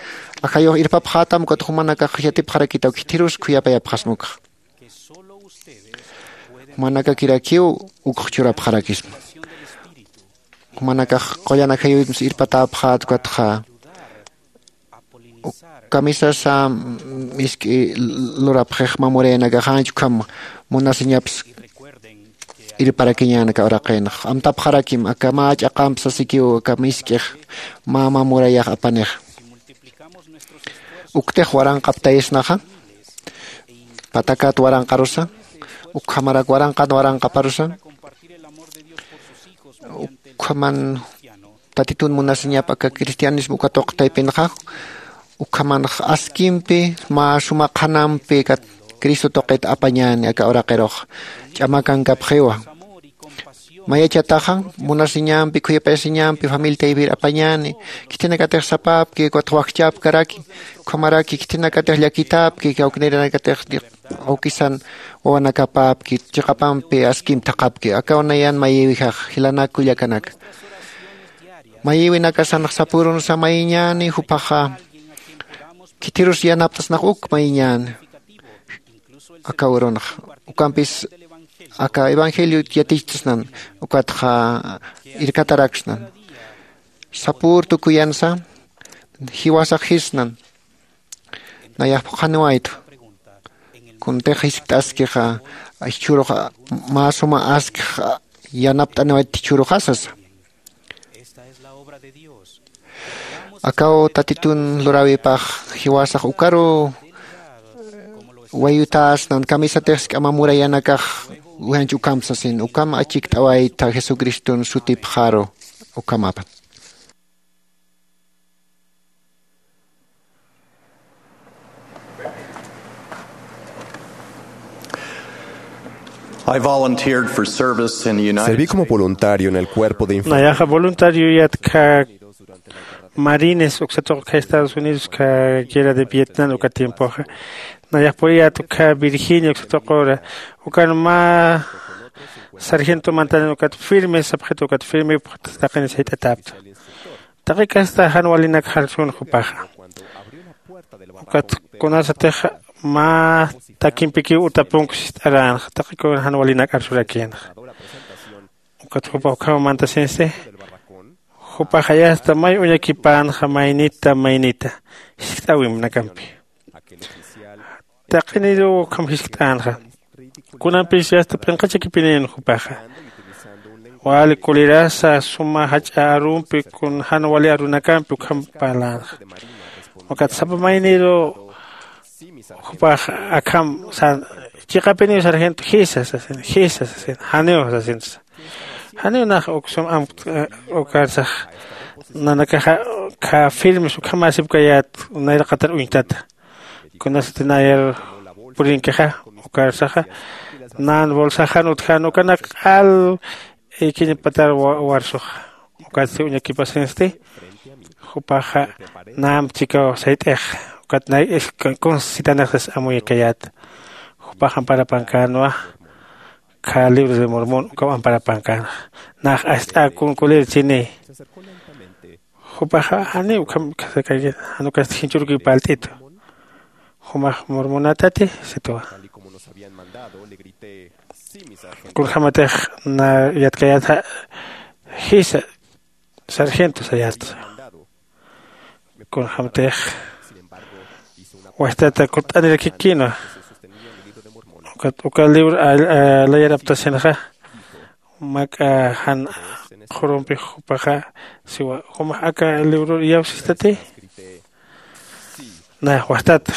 ajayux irpapxätam, ukat jumanakax yatipxarakitaw khithirus khuyapayapxasma ukxa. Jumanakakirakiw ukx churapxarakisma. Jumanakax qullan ajayuwimps irpatäpxät, ukatxa kamisasa misk'i lurapxix mä murayanakax ancha ukham munasiñaps irparakiñän aka uraqinx. Amtapxarakim, aka mä ch'aqamp sasikiw aka misk'ix mä, mä murayax apanix. Uktix waranqaptayisnaxa, patakat waranqarusa, ukhamarak waranqan waranqaparusa, ukhaman Tatitun munasiñap aka cristianismo uka tuq taypinxa, ukhamanx askimpi mä suma qhanampi kat Cristo tuqit apañäni aka uraqirux ch'amakankapxiwa. Mayachataxa munasiñampi, khuyapayasiñampi, familia taypir apañäni, khitinakatix sapapki, ukat wakchapkaraki, ukhamaraki khitinakatix llakitäpki, kawknirinakatix awkisan wawanakapäpki, chiqapampi askim thaqhapki. Akaw nayan mayïwijax, jilanak kullakanaka. Mayïwinakasanx sapürunsa mayiñäni, jupaxa khithirus yanaptasnax uk mayiñäni. Aka urunx ukampis aka evangelio yatichtasnan, ukatxa irkataraksnan. Sapür tukuyansa jiwasax jisnan. Nayax phuqhaniwaytwa. Kuntix jiskt'askixa, jichhürux mä suma askix yanapt'aniwayt jichhüruxa sasa. Akaw Tatitun luräwipax jiwasax ukaru wayutäsnan, kamisatix jisk'a mä murayanakax uñanch ukham sasin, ukham achikt'awayta Jesucriston sutipxaru, ukhamapat. I volunteered for service in the United Serví como States. Voluntario en el cuerpo de infantería. Nayaxa voluntario yatkha marines uksa tuqi Estados Unidos, guerra de Vietnam uka tiempoxa. Nayax puriyät uka Virginia uksa tuqura. Ukan mä sargento mantanin ukat firme sapxit, ukat firme taqin sayt'atäpta. Taqi kasta jan walinak jarsun jupaxa. Ukat kunasatix mä takimpikiw utapunk sist'aränxa, taqi kun jan walinak arsurakïnxa. Ukat jupa ukham mantasinsti, jupaxa yasta may uñakipänxa maynita maynita jiskt'äwimnakampi. Taqiniruw ukham jiskt'änxa. Kunampis yasta p'inqachakipinïn jupaxa. wali kulirasa suma jach'a arumpi kun jan wali arunakampi ukham parlänxa. Ukat sapa mayniru jupax akham san chiqapiniw sargento jisa sasin jisa sasin janiw sasinsa. Janiw nax uksum am ukarsax nanakaxa kha firmes ukhamäsipkayät nayraqatar uñtata. Kunasati nayar purinkixa ukarsaxa nan bolsaxan utjan ukanak q'al ikiñpatar warsuxa. Ukatsti uñakipasinsti jupaxa namp chikaw sayt'ix ukat nay kunsitanixsas amuyakayät. Jupax amparapankänwa kha libro de mormón ukaw amparapankänxa. Nax ast'äkun kulir chini jupaxa janiw ukham jan ukasti jinch'urkiw palt'itu. Jumax mormonatati sitwa. Kunjämatix na yatkayätxa jisa sargento sayätsa. Kunjämatix wajtata kutt'anirakikïnwa. Ukat uka libro layar aptasinxa mak'a jan qhurumpi jupaxa siwa jumax aka libror iyawsistati. Nayax wajtat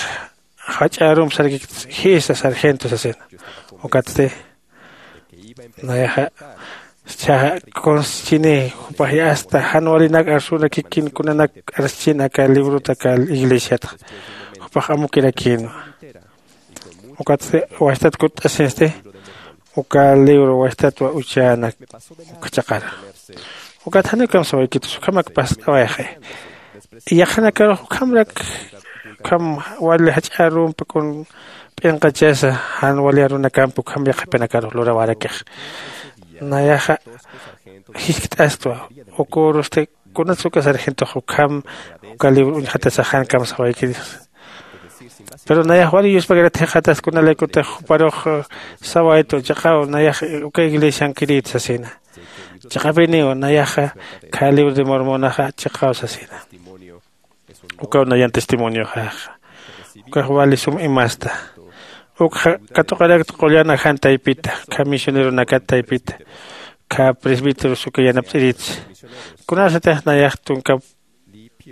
jach'a arump sarkikta jisa sargento sasina. Ukatsti nayaxa chaxa kunschini jupax yasta jan walinak arsunakikin kunanak arschin aka librota aka iglesiatxa jupax amukirakïnwa. Ukatsti wajtat kutt'asinsti uka libro wajtatwa uchänak uka chaqara. Ukat janiw kamsawaykitsa ukhamak past'awayxi. Yaqhanakarux ukhamrak ukham wali jach'a arumpi kun p'inqachasa jan wali arunakampi ukham yaqhipinakarux lurawarakixa. Nayaxa jiskt'astwa. Ukürusti kunatsa uka sargentox ukham uka libro uñjatasax jan kamsawaykitsa. Pero nayax wali yuspakirat jikxatas kunalaykutix juparux sawaytu chiqaw nayax uka iglesiankirït sasina. Chiqapiniw nayaxa kha libro de mormonaxa chiqaw sasina. Ukaw nayan testimonioxaxa ukax wali sum imasta. Ukxa katuqarakt qullan ajan taypita kha misioneronakat taypita kha presbíteros uka yanapt'iritsa. Kunasatix nayax tunka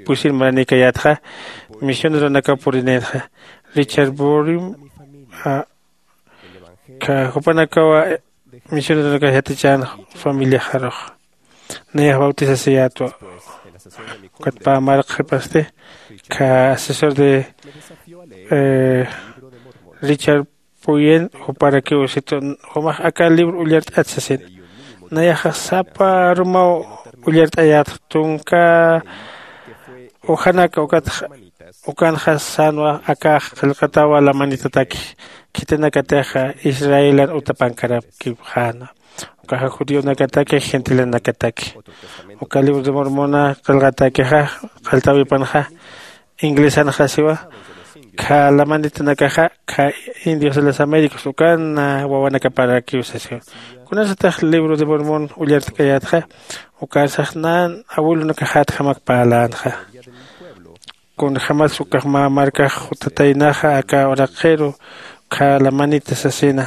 pusin maranïkayätxa misioneronakaw purinïtxa richard borim kha jupanakawa misioneronakax yatichän familiaxarux. Nayax bautisasayätwa. Ukat pä mark qhipasti kha asesor de richard puyen juparakiw situ jumax aka libro ullart'at sasin. Nayaxa sapa arumaw ullart'ayätxa tunka ujanaka ukatxa ukanxa sänwa akax qillqatawa lamanitataki khitinakatixa israelan utapankarapkipxäna. Ukaxa judionakataki gentilenakataki uka libro de mormona qillqatakixa qalltawipanxa inglesanxa siwa kha lamanitanakaxa kha indios de las américas ukan wawanakaparakiw sasiwa. Kunasatix libro de mormon ullart'kayätxa ukarsax nan abuelonakaxätjamak parlänxa. Kunjämatsa ukax mä markax jutataynaxa aka uraqiru kha lamanita sasina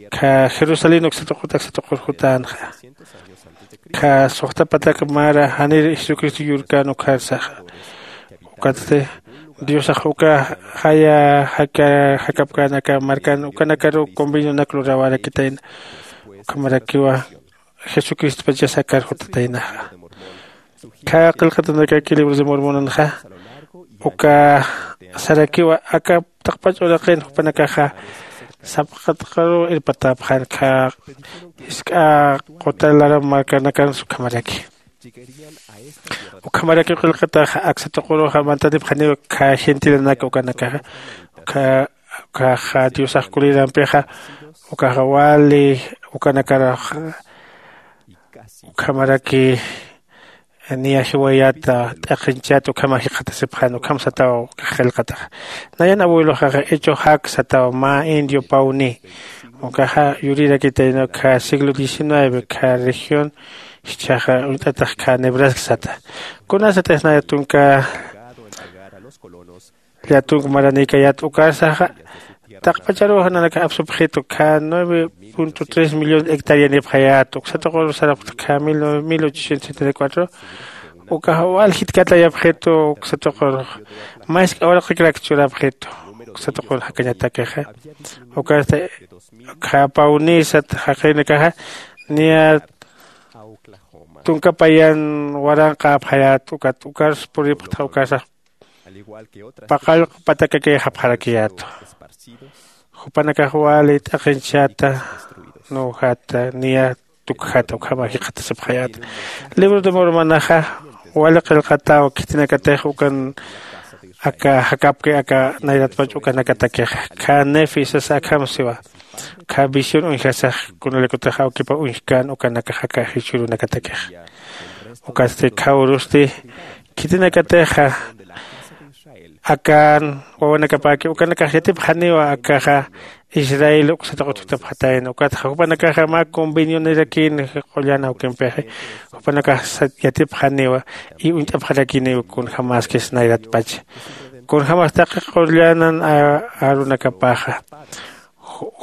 kha jerusalén uksatuqut aksatuqur jutänxa. Kha suxtapatak mara janir jesucristo yurkän ukharsaxa. Ukatsti diosax uka jaya jakapkän aka markan ukanakaruw convenionak luräwarakitayna. Ukhamarakiwa jesucristopachas akar jutataynaxa. Kha qillqatanakaki libros de mormonanxa uka sarakiwa aka taqpach uraqin jupanakaxa sapxatqaruw irpatäpxän kha jisk'a quta laram markanakansa ukhamaraki. Ukhamaraki qillqataxa aksa tuquruxa mantanipxaniw kha gentilenak ukanakaxa. Uka ukaxa diosax kulirampixa ukaxa wali ukanakaraxa ukhamaraki niya jiwayata t'aqhinchat ukhama jikxatasipxan ukham sataw ukax qillqataxa. Nayan abueloxaxa hecho jak sataw mä indio pawni ukaxa yurirakitayna ukha siglo diecinueve kha región jichhaxa uñt'atax kha nebraska sata. Kunasatix naya tunka llatunk maranïkayät ukarsaxa Taqpacharuw nanakax apsupxitu kha nueve punto tres millón hectarianipxayät uksatuqur sarapxta kha mil ochocientos setenta y cuatro. Ukax wal jitkatayapxitu uksatuqur mask'a uraqikrak churapxitu uksatuqur jakañatakixa. Ukasta kha pawnisat jaqinakaxa niya tunka payan waranqäpxayät ukat ukarus puripxtxa ukasax paqallq patakakayxapxarakiyätu. Jupanakax wali t'aqinchata nuwjata niya tukjata ukhama jikxatasipxayäta. Libro de mormonaxa wali qillqataw khitinakatix ukan aka jakapki aka nayratpach ukanakatakixa kha nefi sasa akham siwa. Kha visión uñjasax kunalaykutix awkipa uñjkän ukanakax aka jichhürunakatakixa. Ukatsti kha urusti khitinakatixa akan wawanakapäki ukanakax yatipxaniwa akaxa israel uksataq utjtapxatayna ukatxa jupanakaxa mä convenionirakïn qullan awkimpixi. Jupanakax yatipxaniwa y uñt'apxarakiniw kunjämaskis nayratpacha kunjämas taqi qullanan arunakapaxa.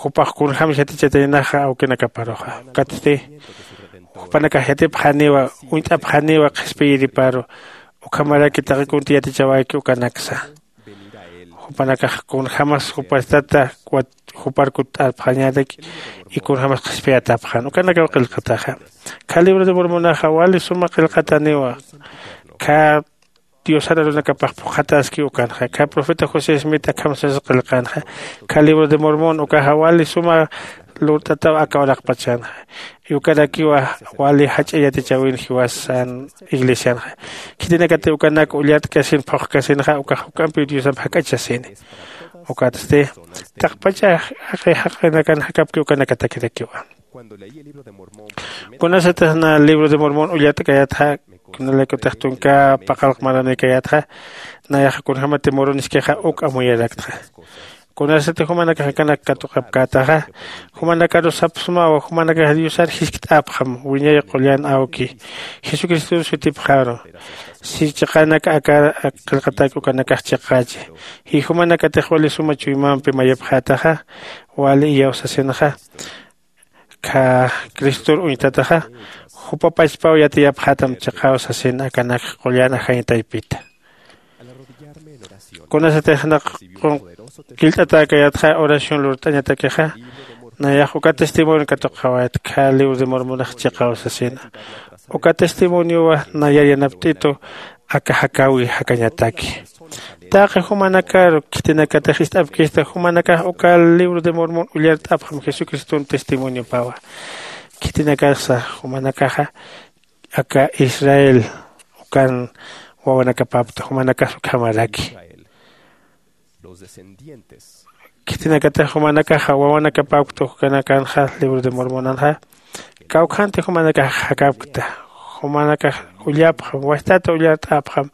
Jupax kunjämsa yatichataynaxa awkinakaparuxa ukatsti jupanakax yatipxaniwa uñt'apxaniwa qhispiyiriparu. Ukhamaraki taqi kuntï yatichawayki ukanaksa jupanakax kunjämas jupastata jupar kutt'arpxañätak y kunjämas qhispiyatäpxän ukanakaw qillqataxa. Kha libro de mormonaxa wali suma qillqataniwa kha diosar arunakapax phuqhataski ukanxa kha profeta josé smit akham sasa qillqänxa. Kha libro de mormon ukaxa wali suma lurt'ataw aka uraqpachanxa ukarakiwa wali jach'a yatichäwin jiwasan iglesianxa. Khitinakati ukanak ullart'kasin phuqkasinxa ukax juk'ampiw diosamp jak'achasini. Ukatsti taqpacha jaqinakan jakapki ukanakatakirakiwa. Kunasatix na libro de mormon ullart'kayatxa kunalaykutix tunka paqallq maranïkayatxa nayaxa kunjämati muruniskixa uk amuyaraktxa. Kunasatix jumanakax akanak katuqapkätaxa jumanakarus sapxsmawa jumanakax diosar jiskt'apxam wiñay qullan awki jesucriston sutipxaru. Si chiqanak aka qillqatak ukanakax chiqachi y jumanakatix wali suma chuymampi mayipxätaxa wali iyawsasinxa kha cristor uñtataxa jupa pachpaw yatiyapxätam chiqaw sasin akanak qullan ajañ taypita. Kunasatix naq qunqillt'atäkayatxa oración lurt'añatakixa nayax uka testimonio katuqawayat kha libro de mormonax chiqaw sasina. Uka testimoniowa nayar yanapt'itu aka jakäwi jakañataki. Taqi jumanakaru khitinakatix ist'apkista jumanakax uka libro de mormon ullart'apxam jesucriston testimoniopawa. Khitinakasa jumanakaxa aka israel ukan wawanakapapta jumanakax ukhamaraki. Khitinakatix jumanakaxa wawanakapapkta ukanakanxa libro de mormonanxa kawkhanti jumanakax jakapkta. Jumanakax ullapxam wastata ullart'apxam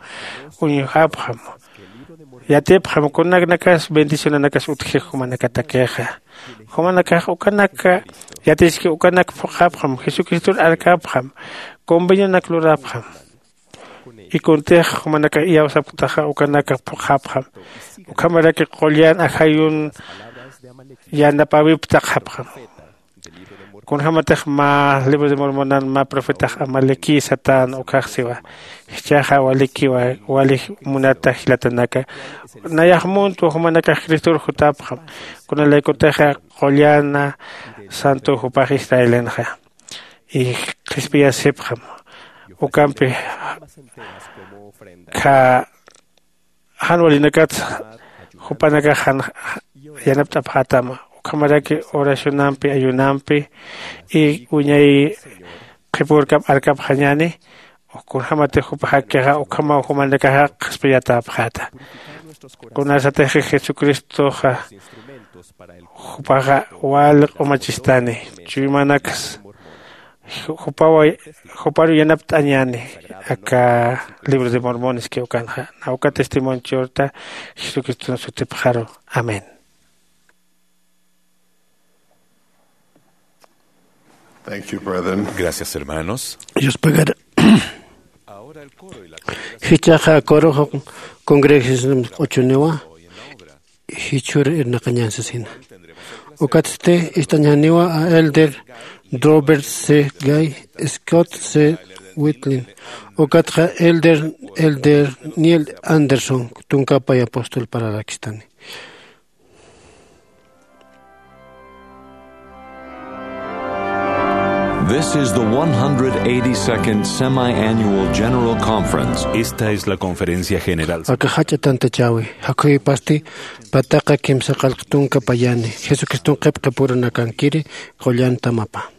uñjapxam yatipxam kunanakas bendicionanakas utjix jumanakatakixa. Jumanakax ukanak yatiski ukanak phuqhapxam jesucristor arkapxam convenionak lurapxam. Y kuntix jumanakax iyawsapktaxa ukanakax phuqhapxam ukhamaraki qullan ajayun yanapäwiptaqxapxam. Kunjämatix mä libro de mormonan mä profetax amalequí satän ukkhax siwa. Jichhaxa walikiwa wali munata jilatanaka nayax muntwa jumanakax cristor jutapxam. Kunalaykutixa qullana santo jupax israelenxa y qhispiyasipxam ukampi kha jan walinakatsa jupanakax jan yanapt'apxätama ukhamaraki oracionampi ayunampi y wiñay qhipürkap arkapxañäni. Kunjämatix jupa jakkixa ukhamaw jumanakaxa qhispiyatäpxäta. Kunasatix jesucristoxa jupaxa wali q'umachistani chuymanaksa jupaw juparu yanapt'añäni aka libro de mormoneski ukanxa. Nawka testimonio churta jesucriston sutipxaru. Amén. Thank you, brethren. Gracias, hermanos. Yuspagara. Jichaqa kuruxa congregación q'uchuniwa. jichhür irnaqañan sasina. Ukatsti ist'añaniwa a elder Robert C. Gay, Scott C. Whitlin, ukatxa elder, elder Neil Anderson, tunkapay apóstol pararakistani. This is the one hundred eighty-second Semi-Annual General Conference. Esta es la conferencia general. Aka jach'a tantachäwi, jakhuypasti pataqa kimsa qallq tunka payani, Jesucriston qhipqipurunakankiri qullan tamapa.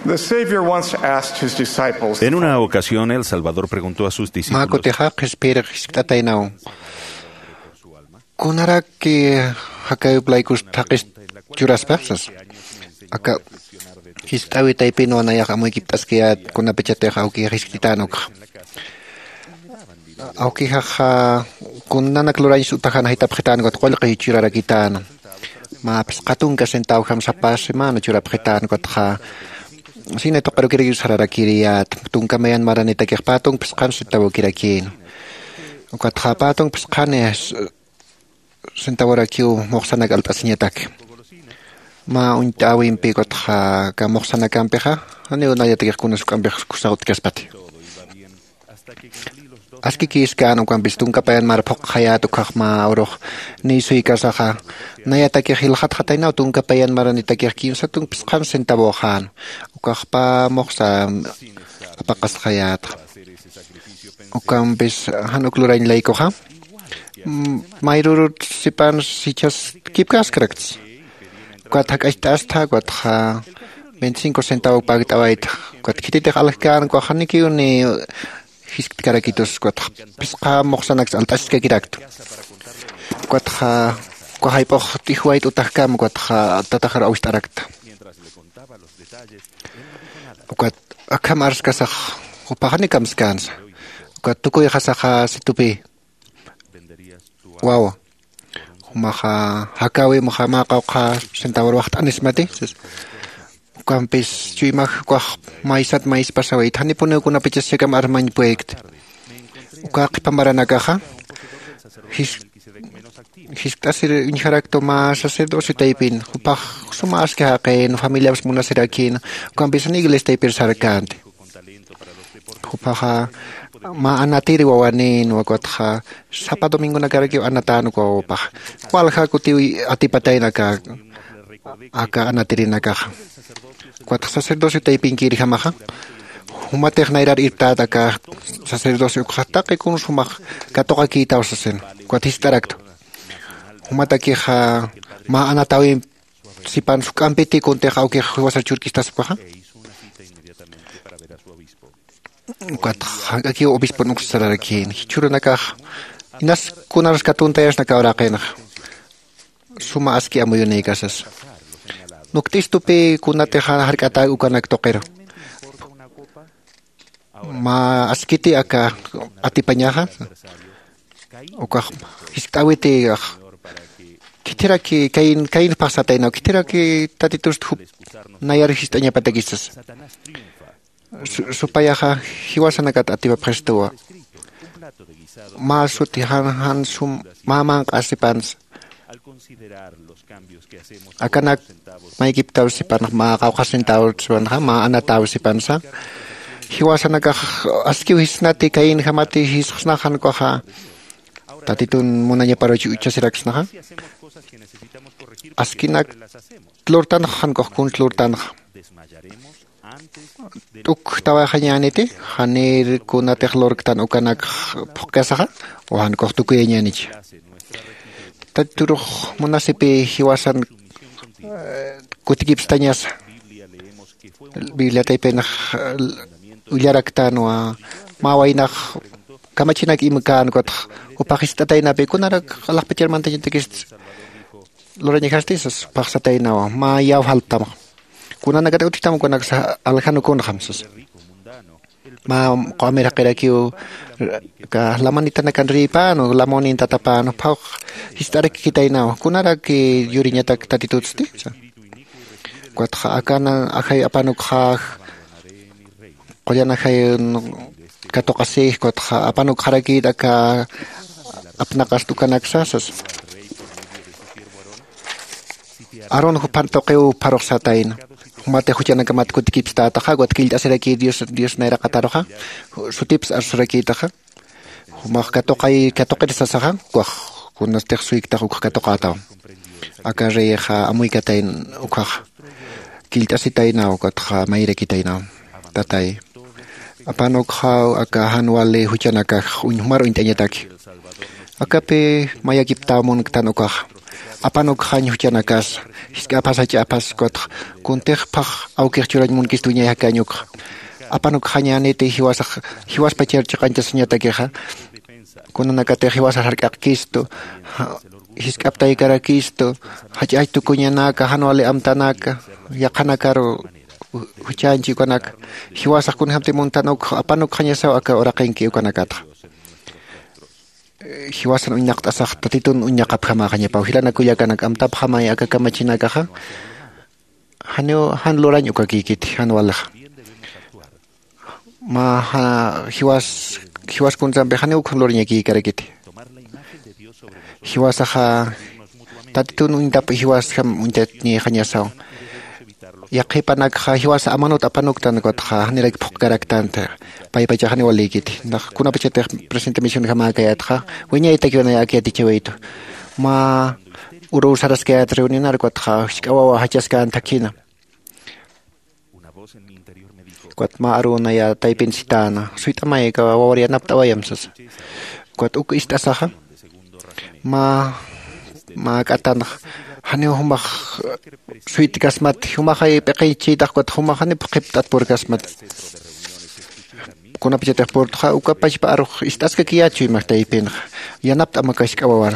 The Savior once asked his disciples, En una ocasión, el Salvador preguntó a sus discípulos, Mä kutixa qhispiyir jiskt'ataynaw: ¿Kunaraki jakäwip laykus thaqhis churaspa? sas. Aka jiskt'äwi taypinwa nayax amuykipt'askayät kunapachatix awkixa jiskt'itan ukxa. Awkixaxa kunanak lurañs utaxan jaytapxitän ukat qullqi churarakitäna. Mä phisqa tunka centavojam sapa semana churapxitän ukatxa cine tuqirukirakiw sararakiriyät. Tunka mayan maranitakix pä tunk phisqan centavokirakïna. Ukatxa pä tunk phisqani centavorakiw muxsanak alt'asiñataki. Mä uñt'äwimpi ukatxa aka muxsanakampixa janiw nayatakix kunas juk'ampix kusa utjkaspati. Askikïskän ukampis tunka payan mar phuqxayät ukhax mä urux niy suykasaxa, nayatakix jilxatxataynaw tunka payan maranitakix kimsa tunk phisqan centavoxän. Ukax pä muxsa apaqasxayätxa. Ukampis jan uk lurañ laykuxa, mm, mayrürut sipans jichhas kipkaskarakts. Ukat jak'acht'astha, ukatxa veinticinco centavo pakt'awaytha. Ukat khititix aljkän, ukax janikiw ni jiskt'karakitus, ukatxa phisqa muxsanaks alt'asiskakiraktu. Ukatxa uka jayp'ux t'ijwayt utajkam, ukatxa tataxar awist'arakta. Ukat akham arskasax jupax janiw kamskänsa. Ukat tukuyxasaxa situpï: Wawa, jumaxa jakäwimxa mä qawqha centavor waxt'anismati, sas. Ukampis chuymax ukax maysat mayspasawayti janipuniw kunapachas chakam armañ pueykta. Uka qhipa maranakaxa jis- jiskt'asir uñjaraktu mä sacerdocio taypin jupax suma aski jaqin familiaps munasirakïna. Ukampis jan iglesia taypir sarkänti. Jupaxa mä anatiri wawanïnwa ukatxa sapa domingonakarakiw anatän uka wawapaxa. Walja kutiw atipatayna aka aka anatirinakaxa. Ukatxa sacerdocio taypinkirjamaxa jumatix nayrar irptät aka sacerdocio ukxa taqi kun sumax katuqakïtaw sasina. Ukat jist'araktu jumatakixa mä anatäwimp sipan suk'ampiti kuntix awkix jiwasar churkistaspaxa. Ukatxa jank'akiw obispon uksasararakïna jichhürunakax inas kunarus katuntayasna aka uraqinxa. Suma aski amuyunïkasas nukt'istupi kunatix jark'atäk ukanak tuqiru. Mä askiti aka atipañaxa ukax jiskt'äwiti khithiraki cain cain phaxsataynaw khithiraki tatitust jup nayar jist'añapatakisas. Supayaxa jiwasanakat atipapxistuwa. Mä suti jan jan sum mä manq'asipansa akanak maykiptaw sipanxa mä qawqhasintaw sipanxa mä anataw sipansa. Jiwasanakax askiw jisnati kayinjamati jisxsnaxan ukaxa tatitun munañaparuch uchasiraksnaxa. Askinak lurtanxa jan ukax kuns lurtanxa t'ukjtawaxañäniti janir kunatix lurktan ukanakx phuqkasaxa o jan ukax tukuyañänich. Taturux munasipï jiwasan kutikipstañasa. Biblia taypinax ullaraktänwa mä waynax kamachinak imkän ukatx jupax jist'ataynapï kunarak alaxpachar mantañatakist lurañajasti sas phaxsataynawa mä yaw jaltamxa. Kunanakat utjtam ukanaksa aljan ukunxam sasa. Mä q'amir jaqirakiw ka lamanitanakar rïpänu lamunin tatapänu phawx jist'arakikitaynawa kunarak yuriñatak tatitutsti sasa. Ukatxa akana ajay apanukxäx qullan ajay katuqasïx ukatxa apanukxarakït aka apnaqast ukanaksa sasa. Aarón juphan tuqiw pharuxsatayna. Jumatix juchanakamat kutikipstätaxa ukat killt'asirakï dios dios nayraqataruxa sutips arsurakïtaxa. Jumax katuqay katuqir sasaxa ukax kunastix suyktax ukx katuqätaw. Aka reyxa amuykatayn ukxaxa killt'asitaynaw ukatxa mayrakitaynaw. Tatay apan ukxaw aka jan wali juchanakax uñjumar uñt'añataki. Akapi mayakiptaw munktan ukxaxa apan ukxañ juchanakasa jisk'apas jach'apas ukatxa kuntix phax awkix churañ munkist wiñay jakañ ukxa. Apan ukxañäniti jiwasax jiwaspachar chiqañchasañatakixa. Kunanakatix jiwasar jark'aqkistu jisk'aptaykarakistu jach'ach tukuñanaka jan wali amtanaka yaqhanakaru juchanchi ukanaka. Jiwasax kunjämti muntan ukx apan ukxañasaw aka uraqinki ukanakatxa. Jiwasan uñnaqt'asax tatitun uñnaqapjamäxañapaw jilanakullakanak amtapxamay aka kamachinakaxa. Janiw jan lurañ ukakïkiti jan walixa. Mä jiwas jiwas kunsampi janiw ukham lurañakïkarakiti. Jiwasaxa tatitun uñtap jiwasjam uñtatñixañasaw. Yaqhipanakxa jiwasa amanut apanuktan ukatxa janirak phuqkaraktanta. Paypachax janiw walïkiti nax kunapachatix presente misionjamäkayätxa wiñaytakiw nay ak yatichawaytu. Mä uruw saraskayät reunionar ukatxa jisk'a wawa jachaskänthakhina. Ukat mä arunaya taypin sitäna suyt'amay aka wawar yanapt'awayam sasa. Ukat uk ist'asaxa mä mä k'atanxa janiw jumax suytkasmati jumaxay p'iqinchïtax ukat jumax janiw phuqhipt'at purkasmati. Kunapachatix purtxa uka pachpa arux ist'askakiyät chuymax taypinxa yanapt'am aka jisk'a wawar.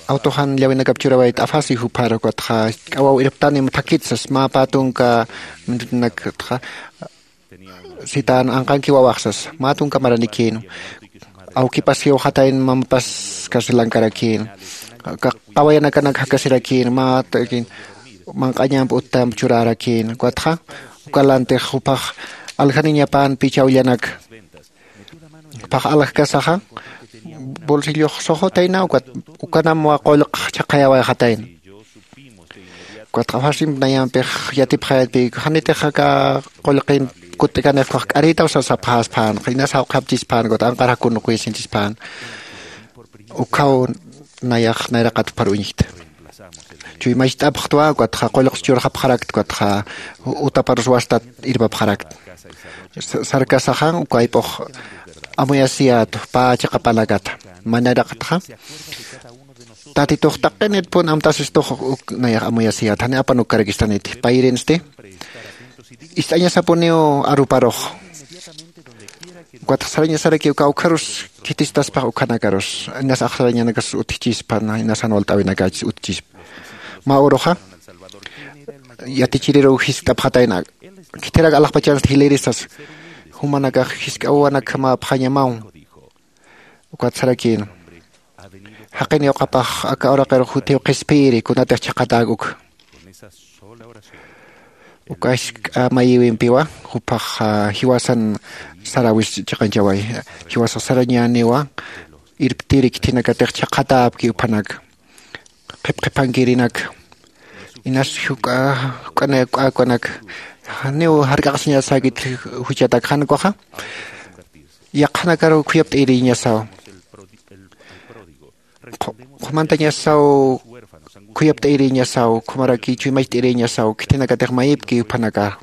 Awtuxan llawinakap churawayt afasi jupxar ukatxa jisk'a waw irptanim thakitsas mä pä tunka mintutinakatxa sitän anqanki wawaxsas mä tunka maranikïnwa. Awkipas jiwxatayn mamapas carcelankarakïnwa. Qawayanakanak jakasirakïnwa mä takin manq'añamp uttamp churarakïn. Ukatxa ukalantix jupax aljaniñapan pichawllanak. Jupax aljkasaxa bolsillox suxutayna, ukat ukanamwa qullq chhaqhayawayxatayna. Ukatxa fasimp nayampix yatipxayatpï, janitix aka qullqin kutt'ikanix jupax k'arïtaw sasapxäspän, inas jawqhapchispän, ukat anqar jakunuqïsinchispän. Ukhaw nayax nayraqat jupar uñjkta. Chuymacht'apxtwa, ukatxa qullqs churxapxarakta, ukatxa utaparus wastat irpapxarakta. Sa-, sarkasaxan uka ayp'ux amuyasiyät pä chiqapanakata. Mä nayraqatxa Tatitux taqinitpun amtasistux uk nayax amuyasiyät, jani apan ukarakistaniti. Payirinsti ist'añasapuniw aruparux. Ukatxa sarañasarakiw kawkharus khitistaspax ukhanakarus, inas axsarañanakas utjchispa, inas jan walt'äwinakachis utjchispa. Mä uruxa yatichiriruw jiskt'apxatayna, khithirak alaxpachansti jilïri sasa. Jumanakax jisk'awanakjamäpxañamaw. Ukat sarakïn, jaqin yuqapax aka uraqir juthiw qhispiyiri kunatix chhaqhatäk uk. Uka jisk'a mayïwimpiwa jupax, ah, jiwasan saräwis chiqanchaway. Jiwasax sarañäniwa irptiri khithinakatix chhaqhatäpki juphanak, qhipqhiphankirinak. Inas juk'a, juk'ana, juk'akunak, janiw jark'aqasiñasäkit juchatak, jan ukaxa yaqhanakaruw khuyapt'ayiriñasaw. Qhu-, qhumantañasaw, khuyapt'ayiriñasaw, ukhamaraki chuymacht'ayiriñasaw, khithinakatix mayipki juphanaka.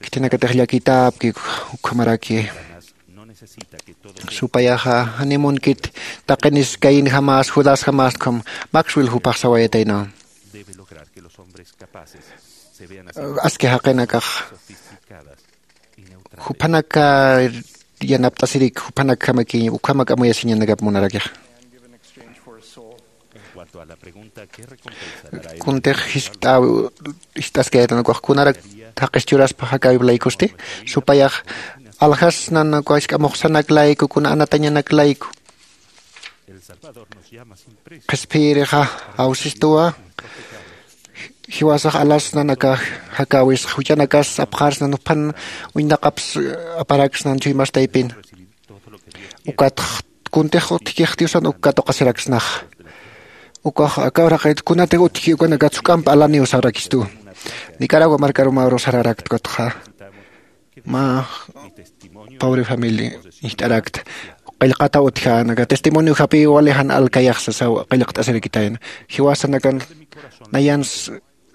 Khithinakatix llakitäpki, ukhamaraki. Supayaxa, janiw munkit taqinis Cainjamás, Judasjamás, ukham Maxwell jupax sawayataynaw. Aski jaqinakax juphanaka yanapt'asirik, juphanakjamakiñ, ukhamak amuyasiñanakap munarakixa. Kuntix jiskt'äw, jiskt'askayätan ukax kunarak jaqis churaspa jakäwip laykusti, supayax aljasnan uka jisk'a muxsanak layku, kuna anatañanak layku. Qhispiyirixa awsistuwa, jiwasax alasnan aka jakäwis, juchanakas apxarsnan, juphan uñt'aqaps aparaksnan chuymastaypin. Ukatx kuntix utjkix Diosan uk katuqasiraksnaxa. Ukax aka uraqit kunatix utjki ukanakat juk'amp alaniw sarakistu. Nicaragua markarumaru sararakt ukatxa. Mä pobre familia jist'arakta. Qillqataw utjän, aka testimonio japï wali jan alkayax sasaw qillqt'asirakitayna. Jiwasanakan nayans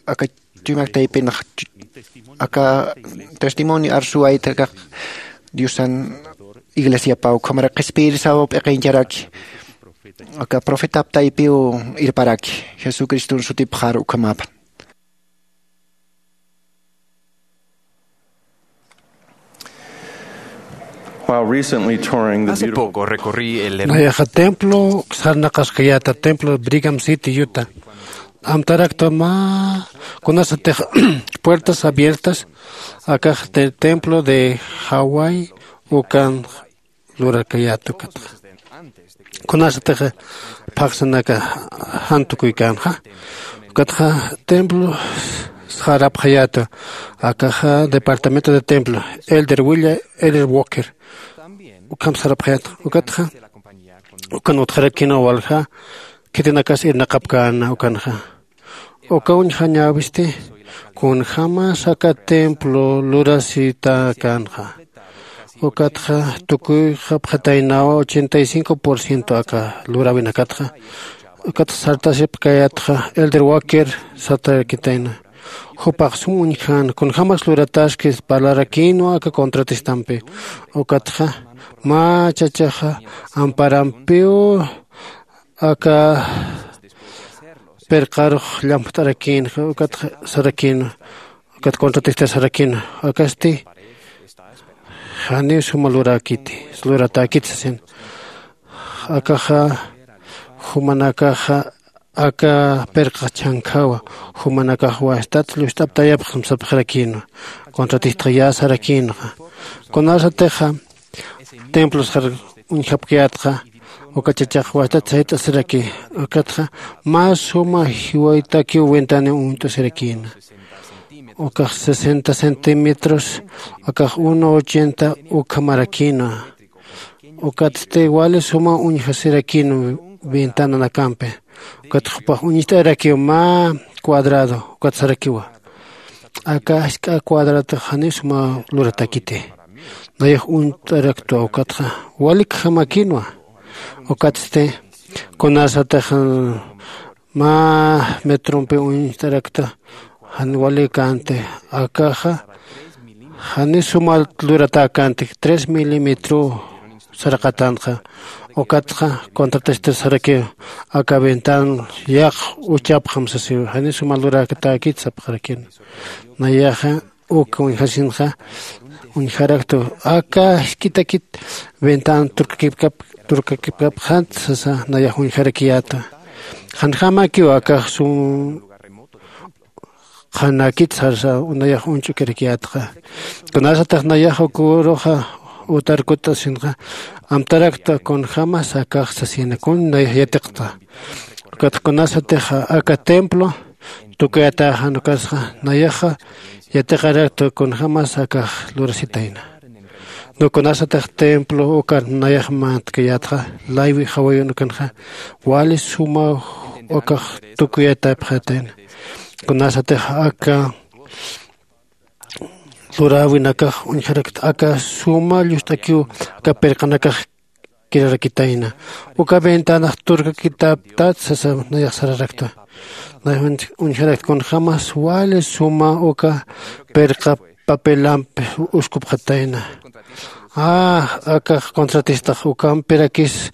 aka chuymaktaypinx aka testimonio arsuwayta aka Diosan iglesiapaw, ukhamara qhispiyirisaw p'iqincharaki. Aka profetap taypiw irparaki, Jesucriston sutipxar ukhamäpan. While recently touring the Hace beautiful poco recorrí el her- Nayaxa templo sarnaqaskayäta, templo Brigham City, Utah. Amtarakta mä kunasatix puertas abiertas akax te-, templo de Hawái ukan lurakayäta ukatxa. Kunasatix phaxsanaka jan tukuykänxa. Ukatxa templo sarapxayäta, akaxa departamento de templo, Elder William Elder Walker. Ukham sarapxayäta. Ukatxa ukan utjarakïnwa walja khitinakas irnaqapkäna ukanxa. Uka uñjañäwisti kunjämas aka templo lurasitäkänxa. Ukatxa tukuyxapxataynawa ochenta y cinco por ciento aka luräwinakatxa. Ukatxa sartasipkayätxa Elder Walker sartarakitayna. Jupax sum uñjän, kunjämas lurataskis parlarakïnwa aka contratistampi. Ukatxa mä chachaxa amparampiw aka pirqarux llamp'tarakïn, ukat sarakïn, ukat contratista sarakïn, akasti janiw suma lurakiti, luratäkiti sasin. Akaxa, jumanakaxa, aka pirqa chhankhäwa, jumanakax wastat lluqt'aptayapxam sapxarakïnwa, contratista ya sarakïnxa. Kunasatixa, templos jar uñjapkayätxa, Uka chachax wachtat sayt'asiraki. Ukatxa mä suma jiwaytakiw ventana uñt'asirakïna. Ukax sesenta centímetros, akax uno ochenta ukhamarakïna. Ukatsti wali suma uñjasirakïna ventananakampi. Ukat jupax uñt'arakiw mä cuadrado. Ukat sarakiwa, aka jisk'a cuadradox janiw suma luratäkiti. Nayax uñt'araktwa. Ukatxa walikjamakïnwa. Ukatsti kunasatix mä metrompi uñt'arakta, jan wali känti. Akaxa janiw suma luratäkänti, tres milímetro saraqatanxa. Ukatxa contratista sarakiw, aka ventan yaq uchapxam sasiw, janiw suma luratäkit sapxarakïna. Nayaxa uk uñjasinxa uñjaraktu, aka jisk'itakit ventan turkakipkap turkakipkapxant sasa. Nayax uñjarakiyäta, janjamakiw akax sum qhanakit sarsa. Nayax uñch'ukirakiyätxa. Kunasatix nayax uk uruxa utar kut'asinxa, amtarakta kunjämas akax sasina, kun nayax yatiqta. Ukat kunasatix aka templo tukuyatäxan ukasxa, nayaxa yatiqarakta kunjämas akax lurasitayna. Kunasatix templo ukan nayax mantkayätxa, laywi jawayun ukanxa wali suma ukax tukuyatapxatayna. Kunasatix aka luräwinakax uñjarakta, aka suma llust'akiw aka pirqanakax kirarakitayna. Uka ventanax turkakitaptat sasa, nayax sararakta. Nayax uñjarakta, kunjämas wali suma uka pirqa papelampi uskupxatayna. Ah, akax contratistax ukampirakis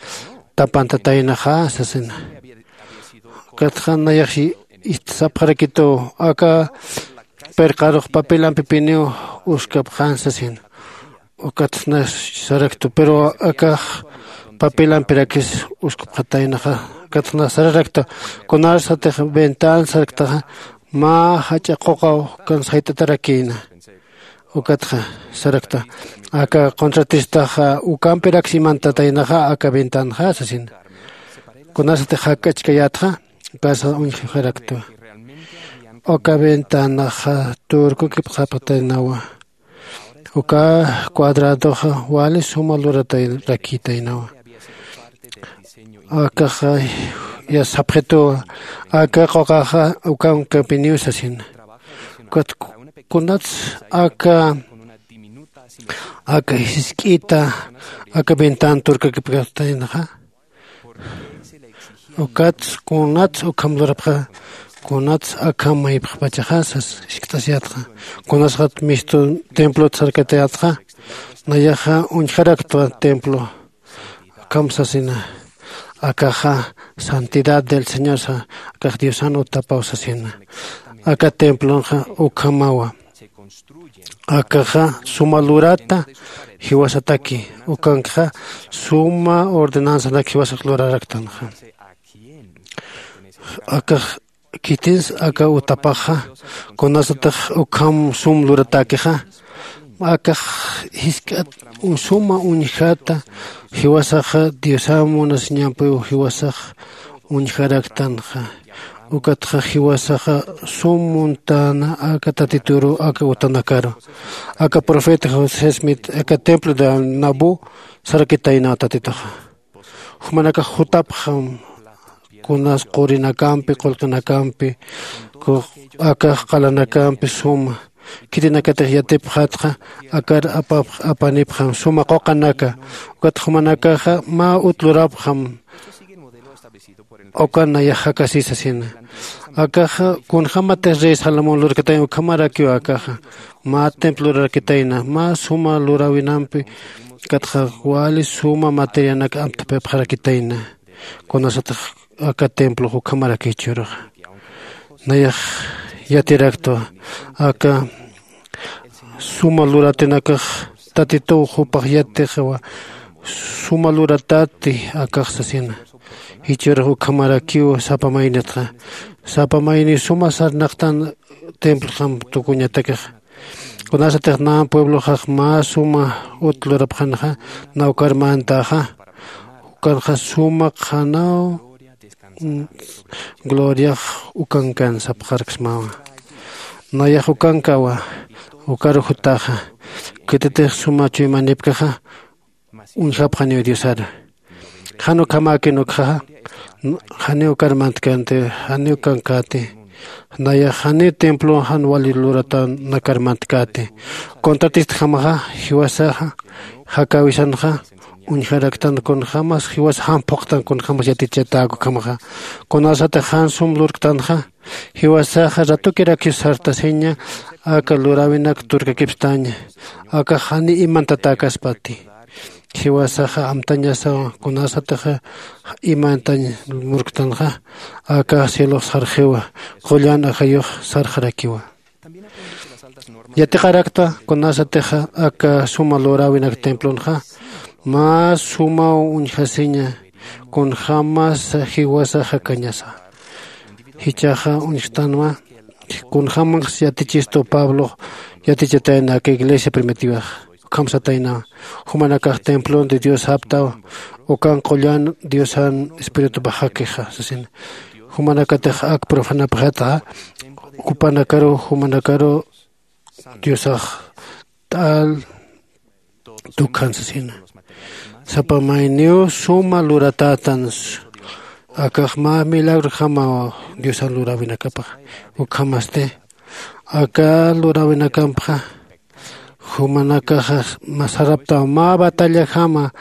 tapantataynaxa sasina. Ukatxa nayax sapxarakituw, aka pirqarux papelampipiniw uskapxan sasina. Ukatxa nayax saraktu, pero akax papelampirakis uskupxataynaxa. Ukatxa nayax sararakta, kunasatix ventan saraktaxa mä jach'a quqaw kan sayt'atarakïna. Ukatxa sarakta, aka contratistaxa ukampirakis imantataynaxa aka ventanxa sasina. Kunasatix jakk'achkayätxa, ukasa uñjarakta. Uka ventanaxa turkukipxapxataynawa. Uka cuadradoxa wali suma luratarakitaynawa. Akaxa ya sapxituwa, aka quqaxa ukankapiniw sasina. Ukat kunats aka aka jisk'ita aka ventan turkakipkapxataynaxa. Ukats kunats ukham lurapxa, kunats akham maypxpachaxa sas. Jiskt'asiyätxa, kunasxat mistu templot sarkatayätxa, nayaxa uñjaraktwa templo. Akham sasina, akaxa santidad del señor sa, akax diosan utapaw sasina. Aka templonxa ukhamawa. Akaxa suma lurata jiwasataki, ukankxa suma ordenanzanak jiwasak luraraktanxa. Akax khitins aka utapaxa, kunasatix ukham sum luratäkixa, akax jisk'at suma uñjata jiwasaxa diosam munasiñampiw jiwasax uñjaraktanxa. Ukatxa jiwasaxa sum muntäna aka tatituru aka utanakaru. Aka profeta josé smith aka templo de nabu sarakitaynaw tatituxa. Jumanakax jutapxam, kunas qurinakampi qullqinakampi, akax qalanakampi suma khitinakatix yatipxatxa, akar apanipxam suma quqanaka. Ukatxa jumanakaxa mä ut lurapxam. Ukan nayax jakasi sasina. Akaxa kunjämatix rey salomón lurkatayna ukhamarakiw akaxa mä templo lurarakitayna mä suma luräwinampi. Ukatxa wali suma materianak amtapipxarakitayna. Kunasatix aka templox ukhamarakiw jichhüruxa. Nayax yatiraktwa aka suma luratinakax tatituw jupax yatixiwa. Suma luratati akax sasina. Jichhürux ukhamarakiw sapa maynitxa, sapa mayniw suma sarnaqtan templxam tukuñatakixa. Kunasatix nä puebloxax mä suma ut lurapxanxa, nawkar mantäxa, ukanxa suma qhanaw gloriax ukankan sapxarksmawa. Nayax ukankawa. Ukaru jutaxa, khititix suma chuymanipkaxa uñjapxaniw diosar. Jan ukhamäkin ukxaxa, janiw ukar mantkanti, janiw ukankäti. Nayax janiw templo jan wali luratanakar mantkäti. Contratistjamaxa jiwasaxa jakäwisanxa uñjaraktan kunjämas jiwas jan phuqtan kunjämas yatichatäk ukhamaxa. Kunasatix jan sum lurktanxa jiwasaxa ratukirakiw sartasiña. Aka luräwinak turkakipstaña. Akax janiw imantatäkaspati. Jiwasaxa amtañasawa. Kunasatix imantañ murktanxa akax cielox sarxiwa. Qullan ajayux sarxarakiwa. Yatiqarakta kunasatix aka suma luräwinak templonxa mä sumaw uñjasiña. Kunjämas jiwasax jakañasa. Jichhaxa uñjtanwa. Kunjämas yatichistu pablox yatichatayna aka iglesia primitivax. Ukham sataynawa. Jumanakax templon de dios japtaw. Ukan qullan diosan espiritupax jakixa sasina. Jumanakatix ak profanapxatxa jupanakaru jumanakaru diosax t'al tukjan sasina. Sapa mayniw suma luratätan. Akax mä milagrojamaw diosan luräwinakapax. Ukhamasti aka luräwinakampxa jumanakaxa saraptaw mä batallajama.